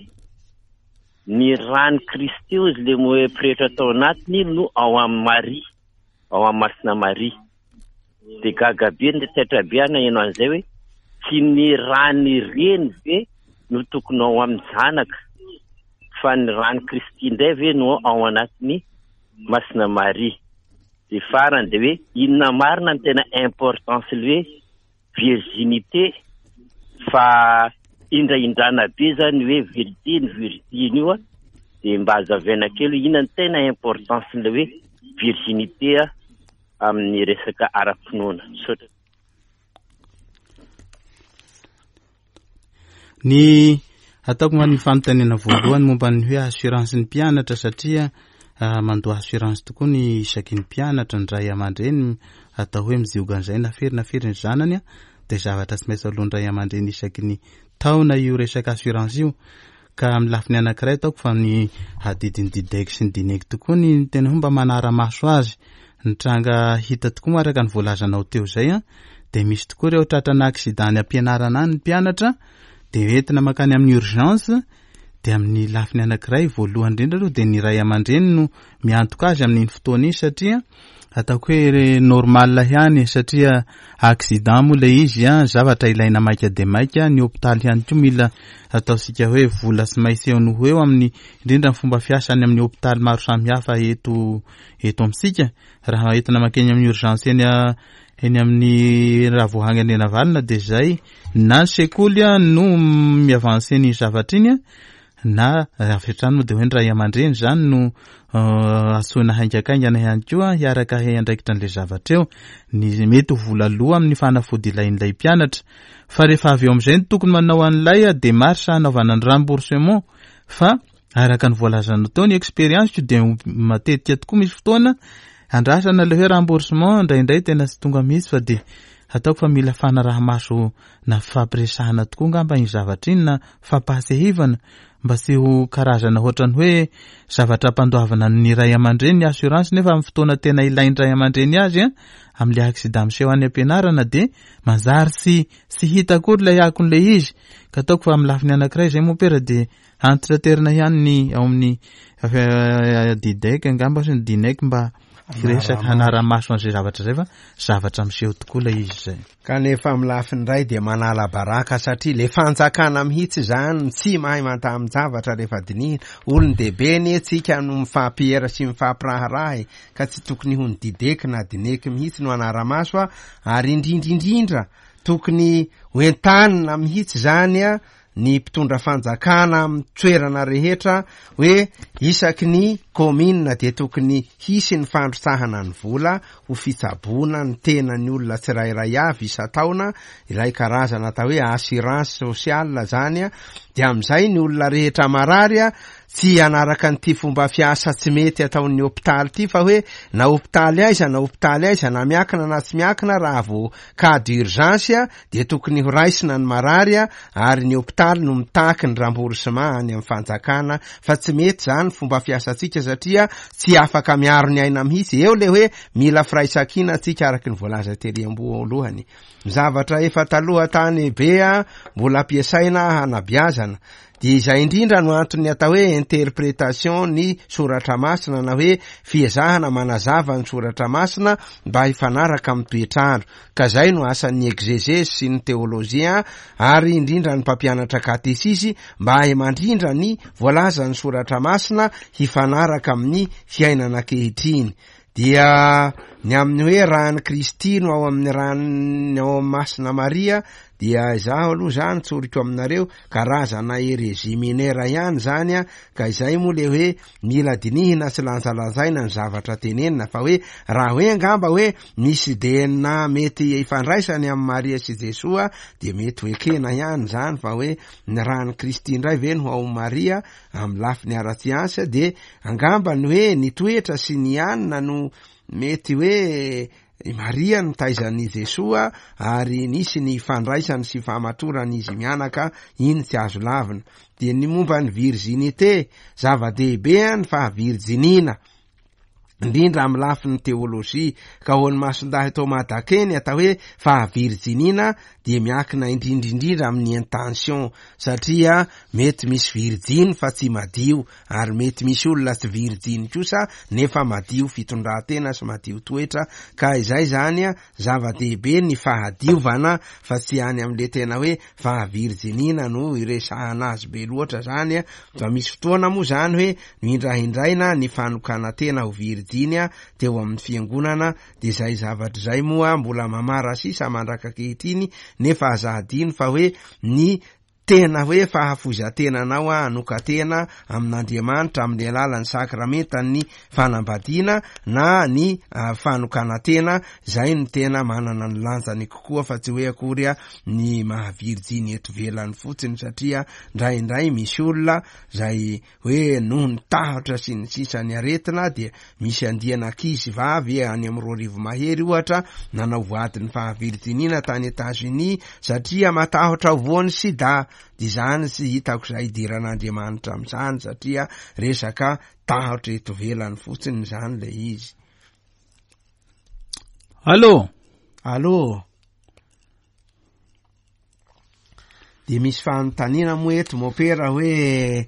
ny rany Kristy izy le moe pretra tao anatiny no ao amin'ny Maria, ao amin'ny Masina Maria. Dia gaga be, ny taitra be aho naheno an'izay hoe tsy ny rany reny ve no tokony ao amin'ny zanaka, fa ny rany Kristy indray ve no ao anatiny Masina Maria. Dia farany dia hoe inona marina ny tena importance le hoe virginité, fa indraindrana be zany hoe virgine virgine io a, dia mba azavaina kely hoe inona ny tena importance le hoe virginité a amin'ny resaka ara-pinoana. Misaotra. Ny ataoko ma ny fanontaniana voalohany momba ny hoe assurance ny mpianatra, satria mandoa assurance tokoa ny isaky ny mpianatra, ny ray aman-dreny atao hoe mizioga an'izay na firy na firy ny zanany a, dia zavatra tsy maintsy alohan'ny ray aman-dreny isaky ny taona io resaka assurance io. Ka amin'ny lafiny anankiray ataoko fa ny adidin'ny didek sy ny dinek tokoa ny tena hoe mba manara-maso azy. Ny tranga hita tokoa moa araka ny voalazanao teo izay a, dia misy tokoa ireo tratrana accident any am-pianarana any ny mpianatra, dia entina mankany amin'ny urgence. Dia amin'ny lafiny anankiray voalohany indrindra aloha dia ny ray aman-dreny no miantoka azy amin'iny fotoana iny, satria ataoko hoe normal ihany, satria accident moa ilay izy a, zavatra ilaina maika dia maika. Ny hôpitaly ihany koa mila ataontsika hoe vola tsy maintsy eo no ho eo amin'ny indrindra ny fomba fiasany amin'ny hôpitaly maro samihafa eto eto amintsika. Raha entina mankeny amin'ny urgence eny a, eny amin'ny Ravoahangy Andrianavalona dia zay na ny sekoly a no miavance ny zavatra iny a, na avy hatrany moa dia hoe ny ray aman-dreny zany no antsoina haingakaingana ihany koa hiaraka hiandraikitra an'ilay zavatra eo. Ny mety ho vola loha amin'ny fanafody ilain'ilay mpianatra, fa rehefa avy eo amin'izay no tokony manao an'ilay démarche hanaovana ny remboursement. Fa araka ny voalazanao teo ny expérience dia matetika tokoa misy fotoana andrasana ilay hoe remboursement, indraindray tena tsy tonga mihitsy, fa dia ataoko fa mila fanaraha-maso na fampiresahana tokoa angamba iny zavatra iny, na fampahatsiahivana mba tsy ho karazana ohatrany hoe zavatra ampandoavana ny ray aman-dreny ny assurance, nefa amin'ny fotoana tena ilain'ny ray aman-dreny azy a, amin'ilay accident miseho any am-pianarana dia manjary tsy tsy hita akory ilay akon'ilay izy. Ka ataoko fa amin'ny lafiny anankiray izay moa pera dia antitraterina ihany ny ao amin'ny didek angamba sy ny dinek mba hiresaka hanara-maso an'izay zavatra izay, fa zavatra miseho tokoa ilay izy izay. Kanefa amin'ny lafiny iray dia manala baraka, satria le fanjakana mihitsy zany tsy mahay mantamin-javatra rehefa dinihina. Olon-dehibe anie tsika no mifampiera sy mifampiraharaha, ka tsy tokony ho ny dideky na dineky mihitsy no hanara-maso a, ary indrindrindrindra tokony ho entanina mihitsy zany a ny mpitondra fanjakana amin'ny toerana rehetra hoe isaky ny commune dia tokony hisy ny fandrotsahana ny vola ho fitsaboana ny tenan'ny olona tsirairay avy isan-taona, ilay karazana atao hoe assurance sociale zany a. Dia amin'izay ny olona rehetra marary a tsy hanaraka an'ity fomba fiasa tsy mety ataon'ny hôpitaly ity, fa hoe na hôpitaly aiza na hôpitaly aiza, na miankina na tsy miankina, raha vao cas d'urgence a dia tokony ho raisina ny marary a, ary ny hôpitaly no mitaky ny remboursement any amin'ny fanjakana. Fa tsy mety zany fomba fiasantsika, satria tsy afaka miaro ny aina mihitsy. Eo le hoe mila firaisankina tsika, araka ny voalaza tery amboalohany. Ny zavatra efa taloha tany be a mbola ampiasaina hanabiazana, dia izay indrindra no antony atao hoe interprétation ny soratra masina, na hoe fiezahana manazava ny soratra masina mba hifanaraka amin'ny toetr'andro. Ka zay no asan'ny exégèse sy ny théologien, ary indrindra ny mpampianatra katesisy, mba hahay mandrindra ny voalazan'ny soratra masina hifanaraka amin'ny fiainana ankehitriny. Dia ny amin'ny hoe rany Kristy no ao amin'ny rany ao amin'ny Masina Maria, dia izaho aloha zany tsoriko aminareo karazana hérésie mineure ihany zany a, ka izay moa le hoe mila dinihina sy lanjalanjaina ny zavatra tenenina, fa hoe raha hoe angamba hoe misy D N A mety ifandraisany amin'ny Maria sy Jesoa dia mety ho ekena ihany zany, fa hoe ny rany Kristy indray ve no ao Maria amin'ny lafiny ara-tsiansa, dia angamba ny hoe ny toetra sy ny anina no mety hoe I Maria nitaizan'i Jesoa ary nisy ny fandraisany sy famatoran'izy mianaka, iny tsy azo lavina. Dia ny momba ny virginité, zava-dehibe ny fahavirjiniana, indrindra amin'ny lafiny teolojia, ka ho an'ny Masindahy Thomas d'Aquin ny atao hoe fahavirjiniana dia miankina indrindrindrindra amin'ny intention, satria mety misy virjiny fa tsy madio, ary mety misy olona tsy virjiny kosa nefa madio fitondran-tena sy madio toetra, ka izay zany a zava-dehibe ny fahadiovana fa tsy any amin'le tena hoe fahavirjiniana no iresahana azy be loatra zany a. Fa misy fotoana moa zany hoe nohindrahindraina ny fanokana-tena ho virjiny a teo amin'ny fiangonana, de zay zavatra zay moa mbola mamara sisa mandraka ankehitriny, nefa aza adino fa hoe ny tena hoe fahafoizan-tenanao a hanokan-tena amin'Andriamanitra amin'ny alalan'ny sakramentan'ny fanambadiana na ny fanokanan-tena, zay no tena manana ny lanjany kokoa, fa tsy hoe akory a ny mahavirjiny eto velany fotsiny, satria ndraindray misy olona zay hoe noho ny tahotra sy ny sisa ny aretina, dia misy andiana ankizy vavy any amin'ny roa arivo mahery ohatra nanao voadin'ny fahavirjiniana tany Etats-Unis satria matahotra ho voan'ny sida. Dia zany tsy hitako zay idiran'Andriamanitra amin'izany, satria resaka tahotra eto velany fotsiny zany le izy. Allô? Allô? Dia misy fanontaniana moa eto mopera hoe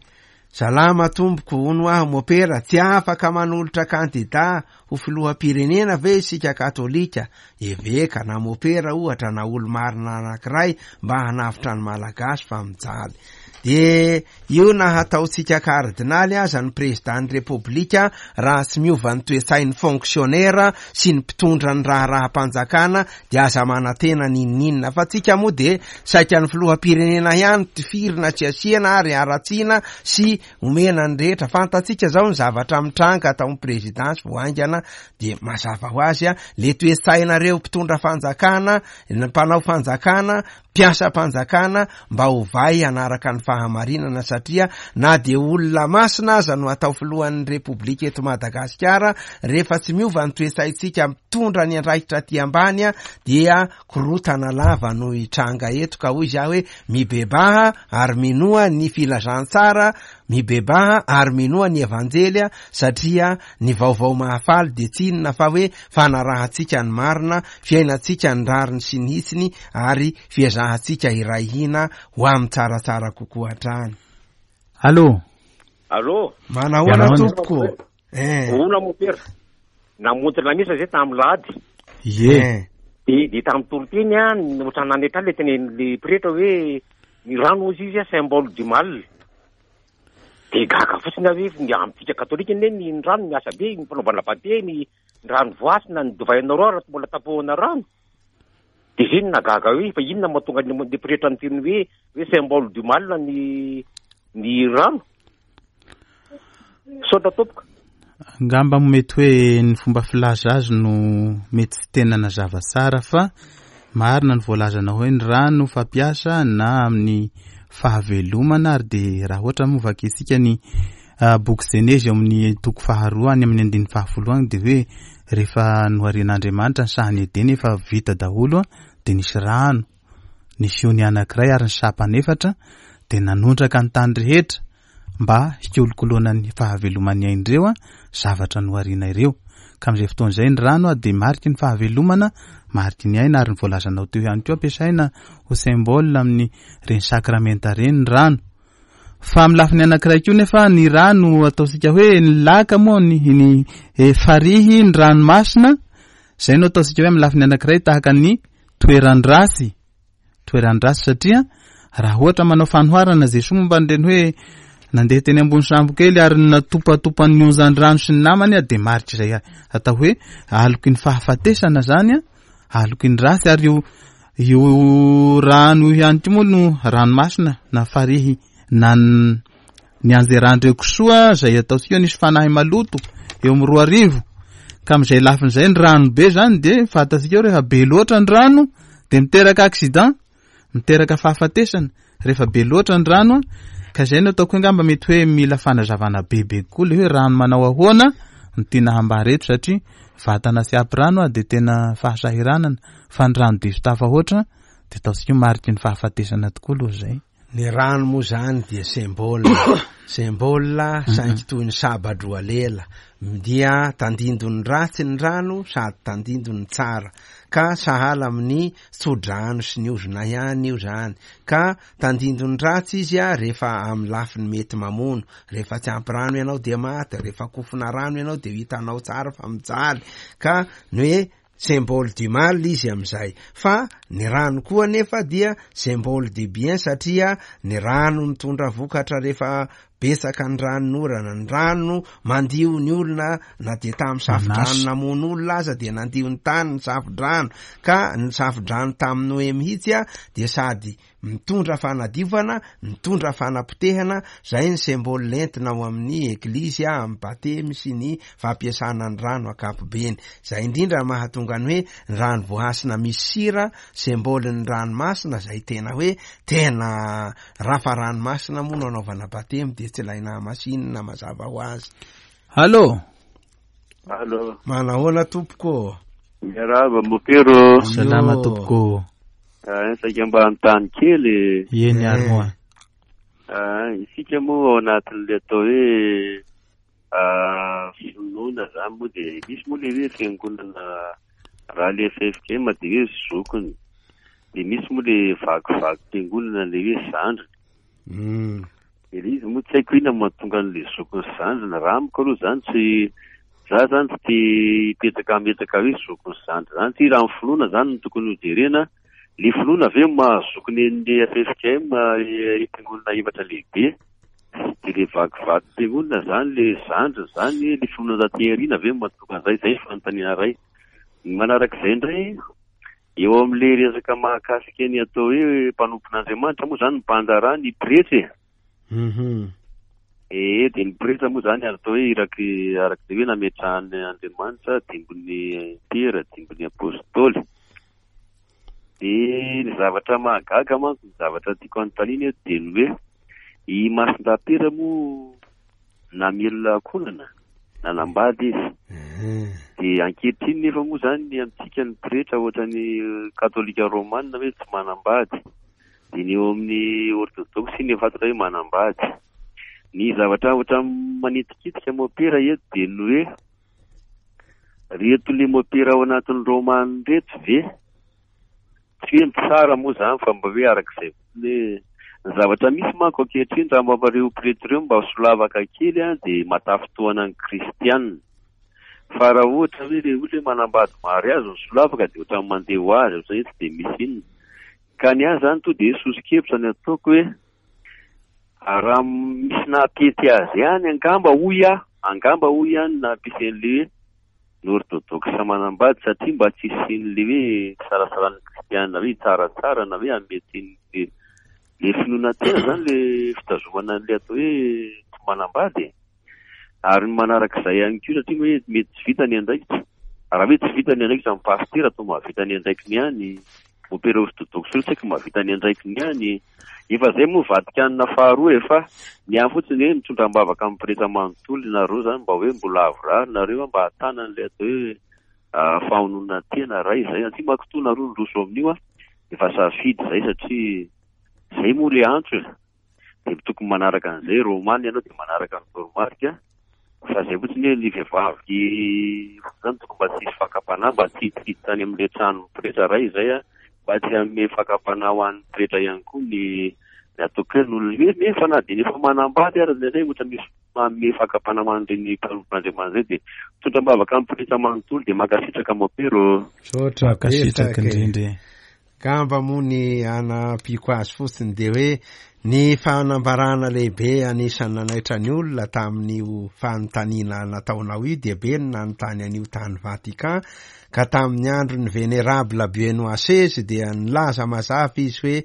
salama tompoko, hono aho mopera, tsy afaka manolotra kandida ho filoham-pirenena ve isika katolika, eveka na mopera ohatra na olo-marina anankiray mba hanavotra ny Malagasy fa mijaly? De io na hataontsika kardinaly aza ny président ny repoblika, raha tsy miova ny toe-tsain'ny fonctionnaire sy ny mpitondra ny raharaham-panjakana de aza manantena n'inon'inona. Fa tsika moa de saika ny filoham-pirenena ihany tifirina tsy asiana ary haratsiana sy omena ny rehetra. Fantatsika zao ny zavatra mitranga atao amin'ny présidence vao haingana, de mazava ho azy a le toe-tsainareo mpitondra fanjakana, ny mpanao fanjakana, mpiasam-panjakana mba hovay hanaraka ny fahamarinana, satria na de olona masina aza no atao filohan'ny repoblika eto Madagasikara, rehefa tsy miova ny toe-tsaintsika mitondra ny andraikitra aty ambany a dia korotana lava no hitranga eto. Ka hoy izy hoe mibebaha ary minoa ny filazantsara, mibebaha ary minoa ny evanjely, satria ny vaovao mahafaly de tsy inona fa hoe fanarahantsika ny marina, fiainantsika ny rariny sy ny hitsiny, ary fiezahantsika iray hina ho amin'ny tsaratsara kokoa hatrany. Allô? Allô? Manahoana tompoko? Eh. Ona mopera. Namonjy lamisa zay tamin'ny lahady. Ie. De de tamin'ny toriteny a, ohatran'ny nanetra le tenen'le pretra hoe ny rano hozy izy a symbole du mal. De gaga fotsiny aho hoe ny amintsika katolika anie ny rano miasa be, ny fanaovana batemy, ny rano voasina, ny divay anareo raha tsy mbola tapohana rano. De zay no nahagaga hoe fa inona mahatonga ny le pretra niteny hoe hoe symbole du mal ny ny rano. Misaotra tompoko. Angamba mety hoe ny fomba filaza azy no mety tsy tena nazava tsara, fa marina ny voalazana hoe ny rano fampiasa na amin'ny fahavelomana, ary de raha ohatra moa vakintsika ny boky Jenezy eo amin'ny toko faharoa any amin'ny andininy fahafolo agny, de hoe rehefa noharian'Andriamanitra ny sahan'i Edena efa vita daholo de nisy rano, nisy ony anankiray ary ny sampany efatra, de nanondraka ny tany rehetra mba hikolokoloana ny fahaveloman'ny ain'ireo a zavatra nohariana ireo. Ka amin'izay fotoana izay ny rano a de mariky ny fahavelomana, mariky ny aina, ary ny voalazanao teo ihany koa ampiasaina ho symbole amin'ny reny sakramenta reny ny rano. Fa amin'ny lafiny anankiray koa nefa ny rano ataontsika hoe ny laka moa ny, ny, e, farihy, ny ranomasina, izay no ataontsika hoe amin'ny lafiny anankiray tahaka ny toeran-dratsy, toeran-dratsy, satria raha ohatra manao fanoharana Jesoa momba an'ireny hoe nandeha teny ambony sambo kely ary natopatopan'ny onjan-drano sy ny namany a, de marika izay atao hoe aloky ny fahafatesana zany a, aloky ny ratsy, ary io, io rano io ihany koa moa no ranomasina na farihy na ny anjeran-dreo kisoa izay ataontsika hoe nisy fanahy maloto eo amin'ny roa arivo. Ka amin'izay lafiny izay ny rano be zany de fantatsika hoe rehefa be loatra ny rano de miteraka accident, miteraka fahafatesana rehefa be loatra ny rano. Ka izay no ataoko hoe angamba mety hoe mila fanazavana bebe kokoa le hoe rano manao ahoana no tiana hambara eto, satria vatana sy ampy rano a dia tena fahasahiranana, fa ny rano diso tafahoatra dia ataontsika hoe mariky ny fahafatesana tokoa aloha izay. Ny rano moa zany dia symbole, symbole saingy toy ny sabadroa lela, dia tandindon'ny ratsy ny rano sady tandindon'ny tsara, ka sahala amin'ny tsodrano sy ny ozona ihany io zany, ka tandindon'ny ratsy izy a rehefa amin'ny lafiny mety mamono, rehefa tsy ampy rano ianao dia maty, rehefa kofona rano ianao dia hitanao tsara fa mijaly, ka ny hoe symbole du mal izy amin'izay. Fa ny rano koa nefa dia symbole du bien, satria ny rano mitondra vokatra rehefa betsaka ny ranonorana, ny rano mandio ny olona na dia tamin'ny safodrano namono olona aza dia nandio ny tany ny safodrano, ka ny safodrano tamin'ny Noe mihitsy a dia sady mitondra fanadiovana, mitondra fanapotehana, zay ny symbole lentina ao amin'ny eglizy a amin'ny batemy sy ny fampiasana ny rano ankapobeny. Zay indrindra mahatonga ny hoe ny rano voahasina misy sira, symbole ny ranomasina, zay tena hoe tena rafa ranomasina moa no anaovana batemy dia tsy ilaina masinina mazava ho azy. Allo. Allo. Manahoana tompoko? Miarahaba mopero. Salama tompoko. Ah, saika mba hanontany kely. Eny ary moa. Ah, isika moa ao anatin'ilay atao hoe ah, finoana zany moa dia misy moa le hoe fiangonana raha le F F K M dia hoe zokiny, dia misy moa le vakivaky fiangonana le hoe zandriny. Mm. Dia le izy moa tsy haiko inona mahatonga an'le zokiny sy zandriny. Raha amiko aloha zany tsy za zany tsy te hipetraka hametraka hoe zokiny sy zandriny zany, tsy raha ny finoana zany no tokony hojerena. Le finoana ve mahazokiny an'le F F K M, eh, fiangonana efatra lehibe, dia le vakivaky fiangonana zany le zandriny zany, le finoana taty aoriana ve mahatonga an'izay? Zay ny fanontaniana iray. Ny manarak'izay indray, eo amin'le resaka mahakasika ny atao hoe mpanompon'Andriamanitra moa zany ny mpandraharaha ny pretra e. Mhm. Eh, dia ny pretra moa zany atao hoe iraky araka izay hoe nametrahan'Andriamanitra dimbin'ny Piera, dimbin'ny Apôstôly. Dia ny zavatra mahagaga manko, ny zavatra tiako hanontaniana eto dia ny hoe i Masindahy moa namelona ankohonana, nanambady izy. Mhm. Dia ankehitriny nefa moa zany ny amintsika ny pretra ohatran'ny katolika romana hoe tsy manambady, dia ny eo amin'ny orthodoxe ny fantatra hoe manambady. Ny zavatra ohatra manitikitika mopera eto dia ny hoe reto le mopera ao anatin'ny romana reto ve tsy hoe mitsara moa zany fa mba hoe arak'izay fotsiny hoe ny zavatra misy manko ankehitriny raha mba ireo pretra ireo mba solavaka kely a dia matafitohana ny kristianina, fa raha ohatra hoe le olona hoe manambady mariazy ny solavaka dia ohatran'ny mandeha ho azy, ohatran'ny hoe tsy dia misy inona. Ka ny ahy zany to dia soso-kevitra ny ataoko hoe raha misy nampety azy ihany angamba hoy aho, angamba hoy aho ny nampisy an'le hoe ny orthodoxe manambady, satria mba tsy hisian'le hoe fisarasaran'ny kristianina hoe hitsaratsara na hoe hamety le, le finoana tena zany le fitazomana an'le atao hoe tsy manambady. Ary ny manarak'izay ihany koa satria hoe mety tsy vita ny andraikitra, raha hoe tsy vita ny andraikitra amin'ny pasitera atao mahavita ny andraikiny ihany, mopera orthodoxe io tsy haiko mahavita ny andraikiny ihany. Efa zay moa Vatikanina faharoa efa ny ahy fotsiny hoe mitondra am-bavaka amin'ny pretra manontolo nareo zany mba hoe mbola avorary nareo mba ahatana an'ilay atao hoe, ah, fahononana tena ray zay. Aty manko toa nareo ndroso amin'io a, efa safidy zay satria zay moa le antso e. Dia tokony manaraka an'izay romana ianao dia manaraka ny toromarika, fa zay fotsiny hoe ny vehivavy zany tokony mba tsy hisy fakam-panahy, mba tsy hiditra any amin'ilay trano pretra ray zay a, mba tsy hanome fakam-panahy ho an'ny pretra ihany koa ny, ny ataoko hoe ny olona hoe nefa na dia efa manambady ary indraindray ohatra misy manome fakam-panahy ho an'ireny mpanompon'Andriamanitra izay, dia mitondra am-bavaka amin'ny pretra manontolo dia mankasitraka mopero. Misaotra Mankasitraka betsaka e. indrindra. Angamba moa ny anampiako azy fotsiny dia hoe ny fanambarana lehibe anisan'ny nanaitra ny olona tamin'io fanontaniana nataonao io dia be ny nanontany an'io tany Vatican, ka tamin'ny andron'ny Vénérable Benoît seize dia nilaza mazava izy hoe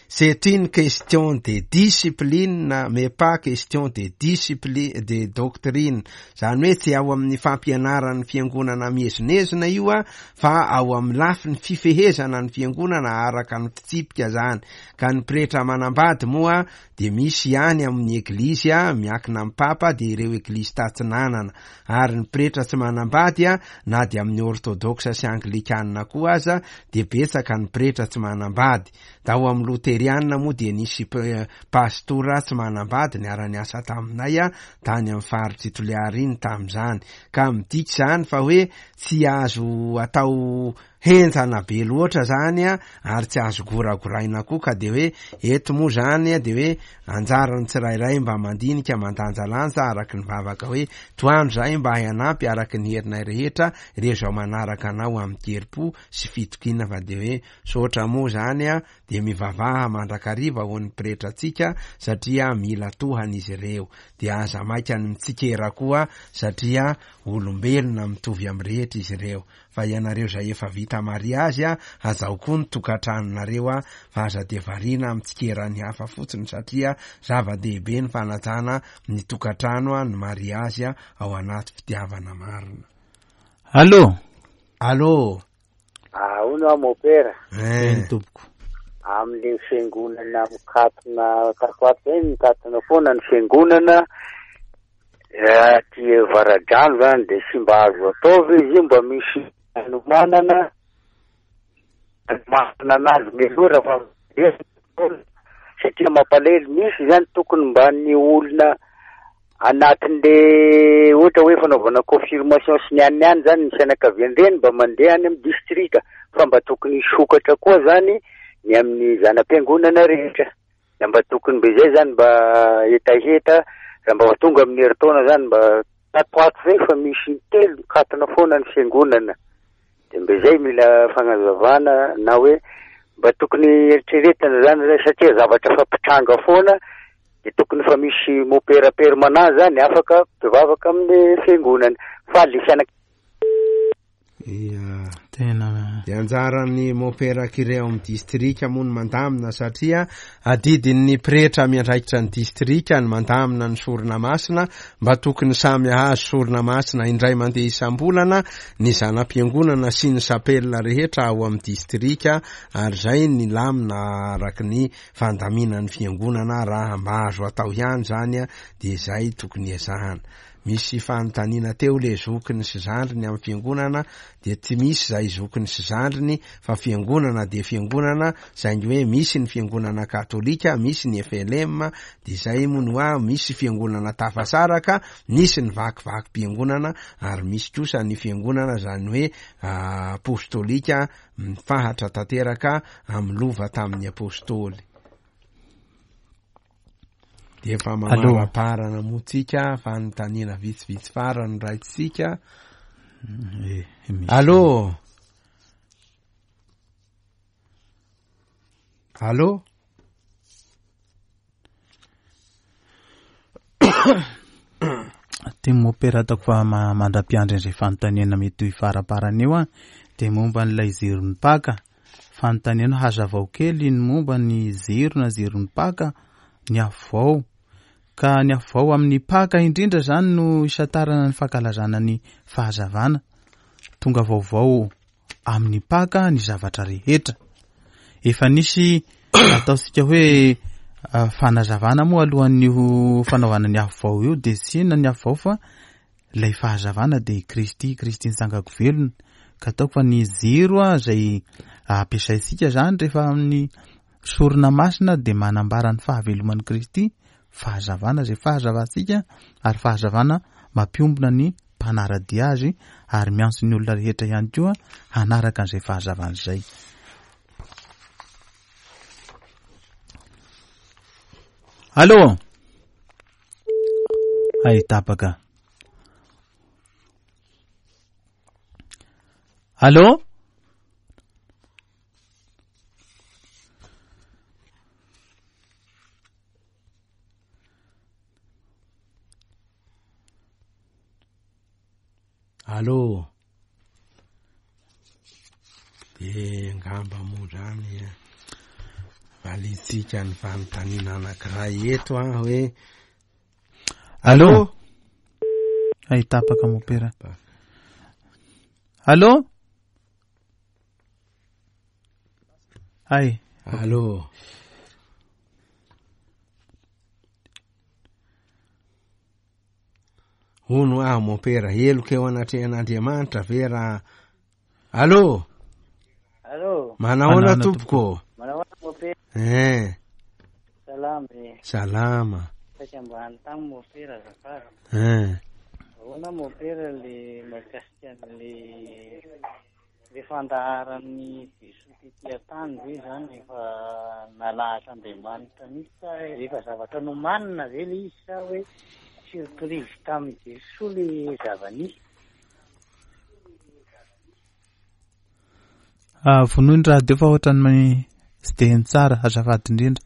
C'est une question de discipline mais pas question de discipline de doctrine. Zany hoe tsy ao amin'ny fampianaran'ny fiangonana miezonezona io a, fa ao amin'ny lafiny fifehezana ny fiangonana araka ny fitsipika zany. Ka ny pretra manambady moa de misy ihany amin'ny eglizy a, miankina amin'ny papa, de ireo eglizy tatsinanana. Ary ny pretra tsy manambady a, na de amin'ny orthodoxe sy anglikanina koa aza, de betsaka ny pretra tsy manambady. Da ao amin'ny loterianina moa de nisy pastora tsy manambady niara-niasa taminay a, tany amin'ny faritry Toliara iny tamin'izany. Ka midika zany fa hoe tsy azo atao henjana be loatra zany a, ary tsy azo goragoraina koa. Ka de hoe eto moa zany a, de hoe anjaran'ny tsirairay mba mandinika mandanjalanja araky ny vavaka hoe toandro zahay mba hanampy araky ny herinay rehetra ireo zao manaraka anao amin'ny kerim-po sy fitokiana. Fa de hoe sotra moa zany a, de mivavaha mandrakariva ho an'ny pretratsika satria mila tohana izy ireo. De aza maika ny mitsikera koa satria olombelona mitovy amin'ny rehetra izy ireo. Fa ianareo zay efa vita mariazy a, azao koa ny tokantranonareo a, fa aza de variana mitsikera ny hafa fotsiny satria zava-dehibe ny fanajana ny tokantrano a, ny mariazy a, ao anaty fitiavana marina. Allô? Allô? Ah, hono aho mopera. Eny tompoko. Amin'le fiangonana mikatona takoato zay, mikatona foana ny fiangonana aty Avaradrano zany, de sy mba azo atao ve izy io mba misy anomanana anomanana anazy mialoha raha fa satria mampalahelo misy zany tokony mba ny olona anatin'le ohatra hoe fanaovana confirmation sy ny any any zany ny fianakavian-dreny mba mandeha any amin'ny distrika, fa mba tokony hisokatra koa zany ny amin'ny zana-piangonana rehetra. Da mba tokony mba izay zany mba hetaheta raha mba tonga amin'ny herintaona zany mba tatoato zay fa misy telo mikatona foana ny fiangonana. De mba izay mila fanazavana na hoe mba tokony eritreretina zany zay satria zavatra fampitranga foana de tokony fa misy mopera permanent zany afaka mpivavaka amin'ny fiangonana fa le fianak- Ia. Tena De anjaran'ny mopera curé ao amin'ny distrika moa ny mandamina satria adidin'ny pretra miandraikitra ny distrika ny mandamina ny sorona masina, mba tokony samy hahazo sorona masina indray mandeha isam-bolana ny zana-piangonana sy ny sapela rehetra ao amin'ny distrika, ary zay ny lamina araky ny fandaminan'ny fiangonana. Raha mba azo atao ihany zany a, de zay tokony ezahana. Misy fanontaniana teo le zokiny sy zandriny amin'ny fiangonana, de tsy misy zay zokiny sy zandriny fa fiangonana de fiangonana, saingy hoe misy ny fiangonana katolika, misy ny F L M, de zay moa no hoe misy fiangonana tafasaraka, nisy ny vakivakim-piangonana, ary misy kosa ny fiangonana zany hoe apostolika mifahatra tanteraka amin'ny lova tamin'ny apostoly. De efa Allô? mamaraparana moa tsika, fanontaniana vitsivitsy farany raitsika. Eh, misy. Allô? Allô? Ty mopera ataoko fa ma-, mandra-piandry an'izay fanontaniana mety ho faraparany eo a, de momba an'ilay jiron'ny Paka. Fanontaniana hazavao kely ny momba ny jiro na jiron'ny Paka, ny afo vao. Ka ny afo vao amin'ny Paka indrindra zany no isantarana ny fankalazana ny fahazavana. Tonga vaovao amin'ny Paka ny zavatra rehetra. Efa nisy ataontsika hoe, ah, fanazavana moa alohan'io fanaovana ny afo vao io, de tsy inona ny afo vao fa ilay fahazavana de Kristy, Kristy nitsangako velona. Ka ataoko fa ny jiro a, izay ampiasaintsika zany rehefa amin'ny sorona masina de manambara ny fahaveloman'i Kristy, fahazavana izay fahazavantsika, ary fahazavana mampiombona ny mpanara-dia azy ary miantso ny olona rehetra ihany koa hanaraka an'izay fahazavana izay. Allô? Ay, tapaka. Allô? Allô? De ngamba moa zany Valitsika ny fanontaniana anankiray eto a hoe Allô? Ay, tapaka mopera. Allô? Ay. Allô? Hono aho mopera, heloka eo anatrehan'Andriamanitra ve raha Allô? Allô? Manahoana tompoko? Manahoana mopera? Eh. Salama e. Salama. Saika mba hanontany mopera azafady. Eh. Ahoana mopera le mahakasika an'le le fandaharan'ny Jesoa tety an-tany ve zany efa nalahatr'Andriamanitra mihitsy sa efa zavatra nomanina ve le izy sa hoe surprise tamin'i Jesoa le zava-nisy? Ah, vonoy ny radio fa ohatran'ny tsy dia heno tsara, azafady indrindra.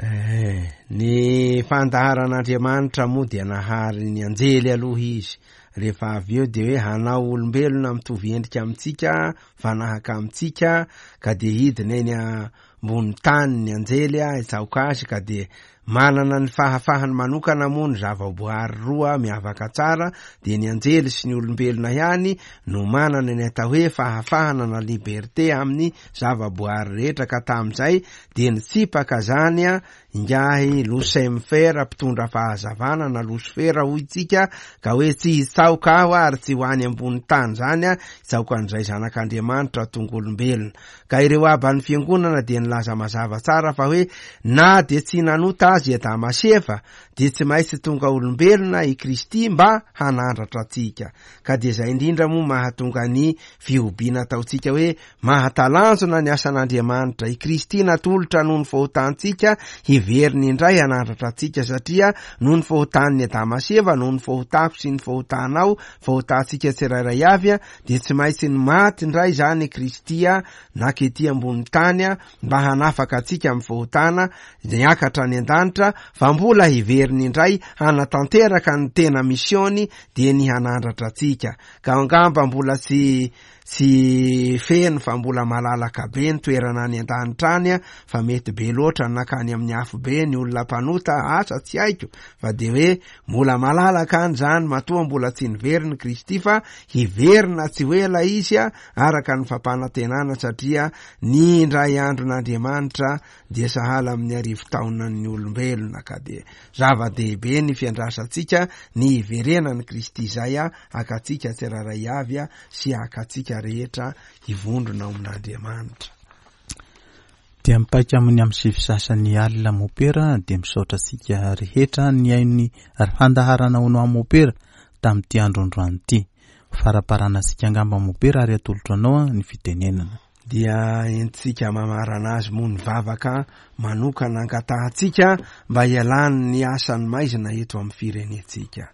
Eh, ny fandaharan'Andriamanitra moa dia nahary ny anjely aloha izy. Rehefa avy eo dia hoe hanao olombelona mitovy endrika amintsika, fanahaka amintsika, ka dia hidina eny ambony tany ny anjely hitsaoka azy, ka dia manana ny fahafahany manokana moa ny zavaboary roa miavaka tsara, dia ny anjely sy ny olombelona ihany no manana ny atao hoe fahafahana na liberté amin'ny zavaboary rehetra. Ka tamin'izay dia nitsipaka zany a ingahy Lucifer mpitondra fahazavana na Lucifer hoy tsika, ka hoe tsy hitsaoka aho ary tsy ho any ambony tany zany a, hitsaoka an'izay zanak'Andriamanitra tonga olombelona. Ka ireo aban'ny fiangonana dia nilaza mazava tsara fa hoe na dia tsy nanota azy Adama sy Eva dia tsy maintsy tonga olombelona i Kristy mba hanandratra antsika. Ka dia izay indrindra moa mahatonga ny fihobiana ataontsika hoe mahatalanjona ny asan'Andriamanitra. I Kristy natolotra noho ny fahotantsika hiveriny indray hanandratra antsika, satria noho ny fahotan'ny Adama sy Eva, noho ny fahotako sy ny fahotanao, fahotantsika tsirairay avy, dia tsy maintsy ny maty indray zany Kristy nakety ambony tany mba hanafaka antsika amin'ny fahotana, niakatra any an-danitra, fa mbola hiveriny indray hanatanteraka ny tena misiony dia ny hanandratra antsika. Ka angamba mbola tsy tsy feno fa mbola malalaka be ny toerana any an-danitra any, fa mety be loatra nakany amin'ny afo be ny olona mpanota, asa tsy haiko, fa dia hoe mbola malalaka any zany matoa mbola tsy niveriny Kristy, fa hiverina tsy ho ela izy araka ny fampanantenana, satria ny indray andron'Andriamanitra dia sahala amin'ny arivo taonan'ny olombelona. Ka dia zava-dehibe ny fiandrasantsika ny hiverenan'i Kristy izay hakatsika tsirairay avy sy hakatsika rehetra hivondrona ao amin'Andriamanitra. Dia mipaika amin'ny amin'ny sivy sasany alina mopera, dia misaotra antsika rehetra nihaino ny fandaharana Hono Aho Mopera tamin'ity androandroany ity. Faraparana antsika angamba mopera ary atolotra anao ny fitenenana. Dia entsika mamarana azy moa ny vavaka manokana angatahantsika mba hialan'ny asan'ny maizina eto amin'ny firenentsika.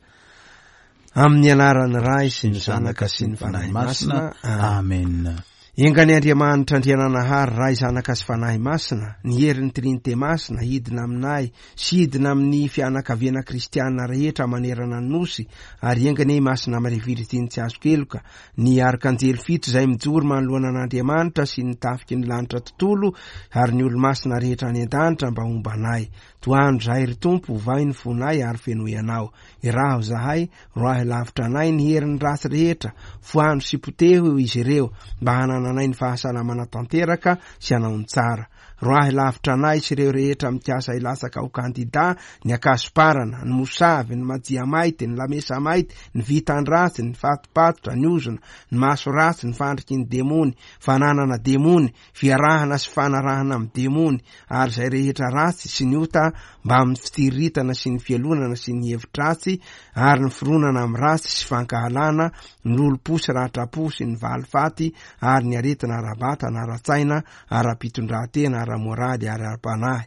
Amin'ny anaran'ny Ray sy ny Zanaka sy ny Fanahy Masina. Amen. Enga ny Andriamanitra Andriananahary Ray, Zanaka sy Fanahy Masina, ny herin'ny Trinite Masina hidina aminay sy hidina amin'ny fianakaviana kristiana rehetra manerana ny nosy, ary enga ny Masina Maria Virjiny tsy azo keloka, ny arkanjely fito izay mijoro manoloana an'Andriamanitra sy ny tafiky ny lanitra tontolo ary ny olo-masina rehetra any an-danitra mba homba anay. Tohano zahay ry Tompo, ovay ny fonay ary fenoy anao. Iraho zahay, roahy lavitra anay ny herin'ny ratsy rehetra, foano sy poteho izy ireo mba hanananay ny fahasalamana tanteraka sy hanao ny tsara. Roahy lavitra anay sy ireo rehetra mikasa hilatsaka ho kandida, ny akasoparana, ny mosavy, ny majia mainty, ny lamesa mainty, ny vitan-dratsy, ny fatipatotra, ny ozona, ny maso ratsy, ny fandriky ny demony, fananana demony, fiarahana sy fanarahana amin'ny demony, ary izay rehetra ratsy sy ny ota mba amin'ny fitsiriritana sy ny fialonana sy ny hevi-dratsy ary ny fironana amin'ny ratsy sy fankahalana, ny lolompo sy ratrapo sy ny valifaty ary ny aretina ara-batana, ara-tsaina, ara-pitondran-tena, ara-moraly ary ara-panahy.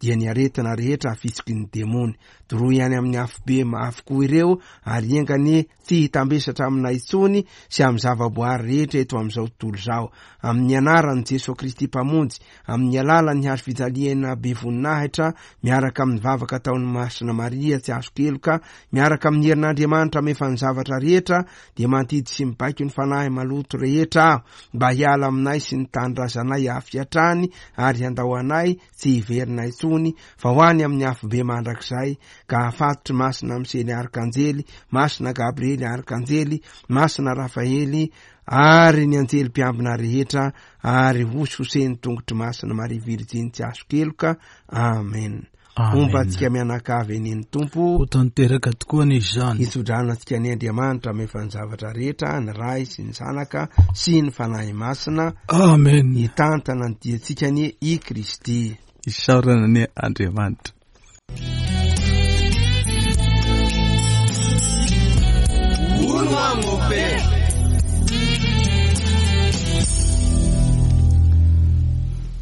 dia ny aretina rehetra afitsiky ny demony. Doroy any amin'ny afobe avokoa ireo, ary enga anie tsy hitambesatra aminay intsony sy amin'ny zavaboary rehetra eto amin'izao tontolo izao. Amin'ny anaran'i Jesoa Kristy Mpamonjy, amin'ny alalan'ny hazo fijaliana be voninahitra, miaraka amin'ny vavaka ataon'i Masina Maria tsy azo keloka, miaraka amin'ny herin'Andriamanitra mefa ny zavatra rehetra, dia mandidy sy mibaiko ny fanahy maloto rehetra aho mba hiala aminay sy ny tanindrazanay avy hatrany, ary handao anay tsy hiverina intsony, fa ho any amin'ny afobe mandrakizay, ka hafatotry Masina Misely Arkanjely, Masina Gabriely Arkanjely, Masina Rafaely, ary ny anjely mpiambina rehetra, ary hosihoseny tongotry Masina Maria Virjiny tsy azo keloka. Amen. Homba antsika mianakavy anie ny Tompo. Ho tanteraka tokoa anie izany. Hitsodrano antsika anie Andriamanitra mefa ny zavatra rehetra, ny Ray sy ny Zanaka sy ny Fanahy Masina. Amen. Hitantana ny diantsika anie i Kristy. Isaorana anie Andriamanitra.